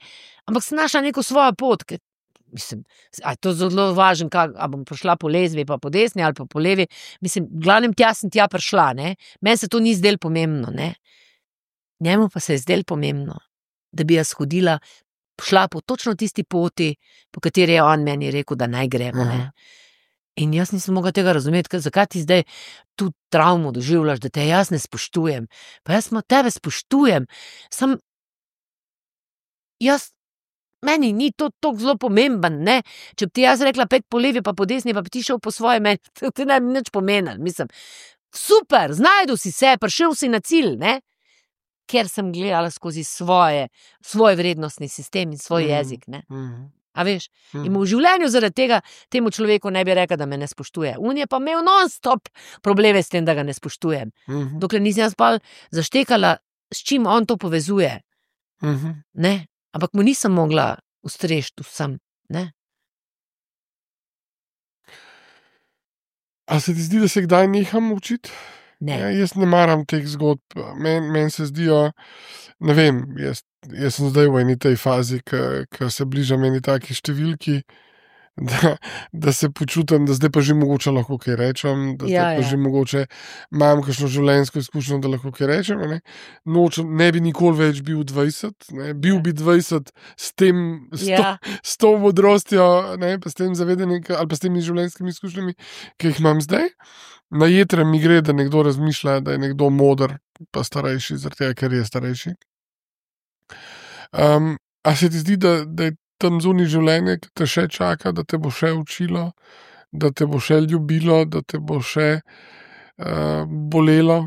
ampak sem našla neko svojo pot, ker mislim, a je to zelo važno, kak, a bom prišla po lezbi, pa po desni ali pa po levi, mislim, v glavnem tja sem tja prišla, ne, meni se to ni zdelo pomembno, ne, njemu pa se je zdelo pomembno, da bi jaz hodila, šla po točno tisti poti, po kateri je on meni rekel, da naj gremo, ne, in jaz nisem mogla tega razumeti, ker zakaj ti zdaj tu travmo doživljaš, da te jaz ne spoštujem, pa jaz tebe spoštujem, sam, jaz meni ni to tako zelo pomemben, ne, če bi ti jaz rekla pet po levi pa po desni, pa bi ti šel po svoje, meni to ne bi nič pomenilo, mislim, super, znajdu si se, prišel si na cilj, ne, ker sem gledala skozi svoje, svoj vrednostni sistem in svoj mm. jezik, ne, mm. a veš, mm. in v življenju zaradi tega temu človeku ne bi rekel, da me ne spoštuje, on je pa imel non-stop probleme s tem, da ga ne spoštujem, mm. dokler nisem jaz pa zaštekala, s čim on to povezuje, mm. ne, ampak mu nisem mogla ustrežiti vsem, ne. A se ti zdi, da se kdaj neham učiti? Ne. Ja, jaz ne maram teh zgodb, meni men se zdijo, ne vem, jaz, jaz sem zdaj v eni tej fazi, ko se bližam eni taki številki, da, da se počutim, da zdaj pa že mogoče lahko kaj rečem, da zdaj ja, pa ja. že mogoče imam kakšno življenjsko izkušnjo, da lahko kaj rečem. Ne, Nočem, ne bi nikoli več bil dvajset, ne, bil ja. bi dvajset s tem, s, ja. to, s to modrostjo, ne, pa s tem zavedanjem ali pa s temi življenjskimi izkušnjami, ki jih imam zdaj. Na jetre mi gre, da nekdo razmišlja, da je nekdo moder, pa starejši, zaradi tega, ker je starejši. Um, a se ti zdi, da, da je tam zunaj življenje, ki te še čaka, da te bo še učilo, da te bo še ljubilo, da te bo še uh, bolelo?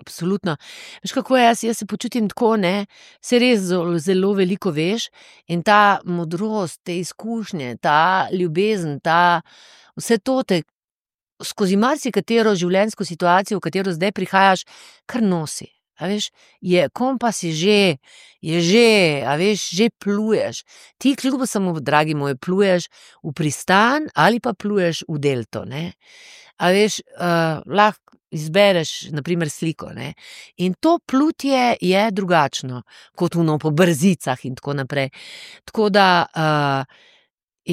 absolutno. Veš, kako je, jaz, jaz se počutim tako, ne, se res zelo, zelo veliko veš in ta modrost, te izkušnje, ta ljubezen, ta, vse to te skozi marsikatero življenjsko situacijo, v katero zdaj prihajaš, kar nosi. A veš, je, kompas je že, je že, a veš, že pluješ. Ti kljub samo, dragi moj, pluješ v pristan ali pa pluješ v delto, ne. A veš, uh, lahko izbereš, na primer, sliko, ne. In to plutje je drugačno, kot ono po brzicah in tako naprej. Tako da, uh,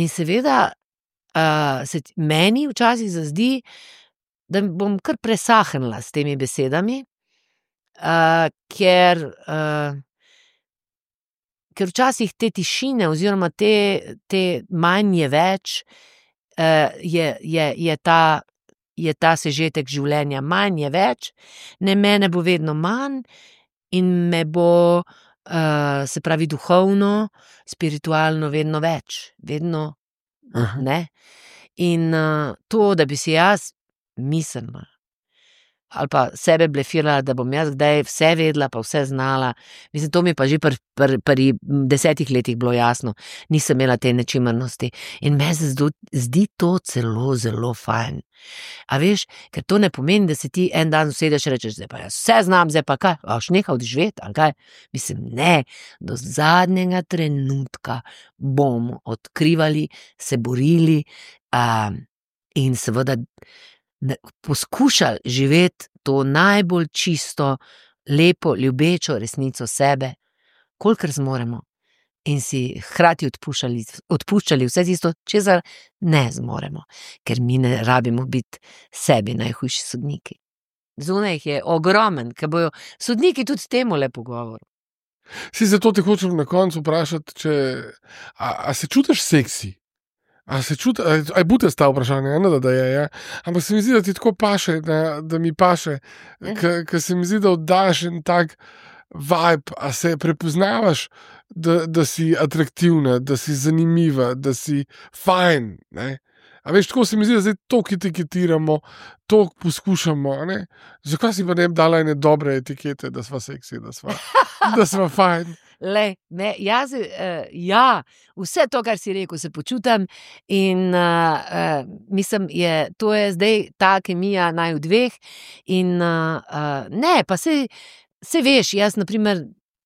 in seveda, uh, se meni včasih zazdi, da bom kar presahnila s temi besedami, Uh, ker, uh, ker včasih te tišine oziroma te, te manj je več, uh, je, je, je, ta, je ta sežetek življenja, manj je več, ne, mene bo vedno manj in me bo, uh, se pravi, duhovno, spiritualno vedno več, vedno, Aha. ne. In uh, to, da bi si jaz mislila, ali pa sebe blefirala, da bom jaz kdaj vse vedela, pa vse znala. Mislim, to mi je pa že pri pr, pr desetih letih bilo jasno. Nisem imela te nečimrnosti. In me se zdi, zdi to celo, zelo fajn. A veš, ker to ne pomeni, da se ti en dan usedeš in rečeš, zdaj pa jaz vse znam, zdaj pa kaj, a boš nehal živeti, ali kaj? Mislim, ne, do zadnjega trenutka bomo odkrivali, se borili um, in seveda poskušali živeti to najbolj čisto, lepo, ljubečo resnico sebe, kolikor zmoremo, in si hkrati odpuščali, odpuščali vse tisto, česar ne zmoremo, ker mi ne rabimo biti sebi najhujši sodniki. Zunaj jih je ogromen, ker bojo sodniki tudi temu le pogovor. Si zato te hočem na koncu vprašati, če, a, a se čutiš seksi? A se čuti, a je bute sta vprašanje, eno, da, da je, ja. Ampak se mi zdi, da ti tako paše, da, da mi paše, ker se mi zdi, da oddaš en tak vibe, a se prepoznavaš, da, da si atraktivna, da si zanimiva, da si fajn, ne. A veš, tako se mi zdi, da zdaj toliko etiketiramo, toliko poskušamo, ne. Zakaj si pa ne bi dala ene dobre etikete, da sva seksi, da sva, da sva fajn? Le, ne, jaz, uh, ja, vse to, kar si rekel, se počutam in uh, uh, mislim, je, to je zdaj ta kemija naj v dveh in uh, uh, ne, pa se, se veš, jaz na primer,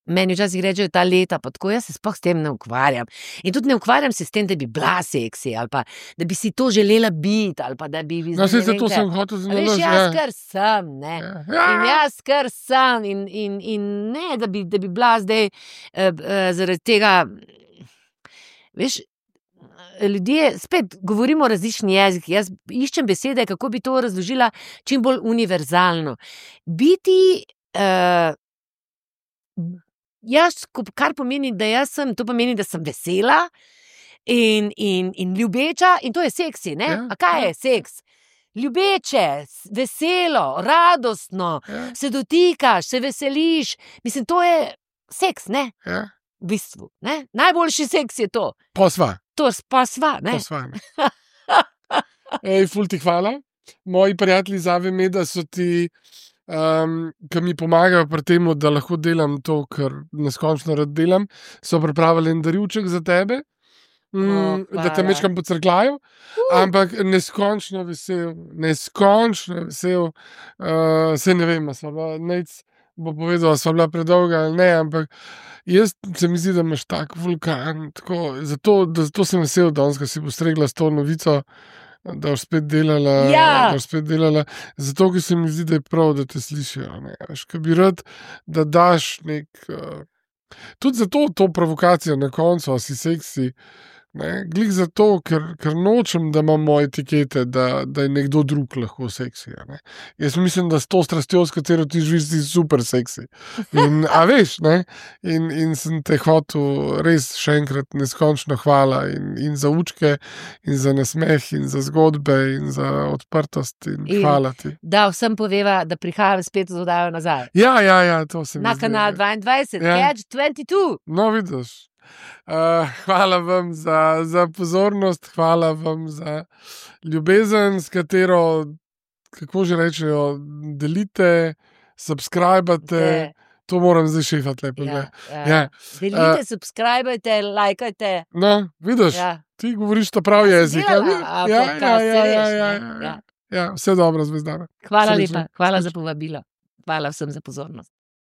meni včasih rečejo ta leta, pa tako, jaz se sploh s tem ne ukvarjam. In tudi ne ukvarjam se s tem, da bi bila seksi, ali pa da bi si to želela biti, ali pa da bi... No, se zato sem hotel zanimati. Veš, jaz kar sem, ne. Ja. In jaz kar sem in, in, in ne, da bi, da bi bila zdaj uh, uh, zaradi tega... Veš, ljudje, spet govorimo različni jezik, jaz iščem besede, kako bi to razložila čim bolj univerzalno. Biti... Uh, Jaz, kar pomeni, da jaz sem, to pomeni, da sem vesela in, in, in ljubeča in to je seksi, ne? Ja, a kaj je seks? Ljubeče, veselo, radostno, ja. Se dotikaš, se veseliš, mislim, to je seks, ne? Ja. V bistvu, ne? Najboljši seks je to. Pa sva. To pa sva, ne? Pa sva, ne. Ej, ful ti hvala. Moji prijatelji zave me, da so ti... Um, ki mi pomagajo pri tem, da lahko delam to, kar neskončno rad delam, so pripravili en darivček za tebe, mm, o, da te mečkam pocrkljajo, uh. ampak neskončno vesel, neskončno vesel, uh, se ne vem, sva bila, nec bo povedal, sva bila predolga ali ne, ampak jaz se mi zdi, da imaš tak vulkan, tako, zato, da, zato sem vesel danes, ko si postregla s to novico, da boš spet delala, ja. da boš spet delala, zato, ker se mi zdi, da je prav, da te slišijo, ne, veš, ker bi rad, da daš nek, uh, tudi zato to provokacijo na koncu, a si seksi, ne, glih zato, ker, ker nočem, da imam moje etikete, da, da je nekdo drug lahko seksi, ne. Jaz mislim, da s to strastjo, s katero ti živiš, si super seksi. In, a veš, ne, in, in sem te hotel res še enkrat neskončno hvala in, in za učke, in za nasmeh, in za zgodbe, in za odprtost, in, in hvala ti. Da vsem poveva, da prihajam spet z oddajo nazaj. Ja, ja, ja, to se mi Na zdi. kanal dvaindvajset, ja. Catch dvajset dva. No, vidiš. Uh, hvala vam za, za pozornost, hvala vam za ljubezen, s katero, kako že rečejo, delite subskrbite, to moram zdaj šefati lepo. Ja, ja. Ja. Delite, uh, subskrbite, lajkajte. No, vidiš, ja. Ti govoriš ta prav jezik. Ja, ja, ja, ja, ja, ja, ja, ja. Ja, vse dobro, Zvezdana. Hvala lepa, hvala za povabilo. Hvala vsem za pozornost.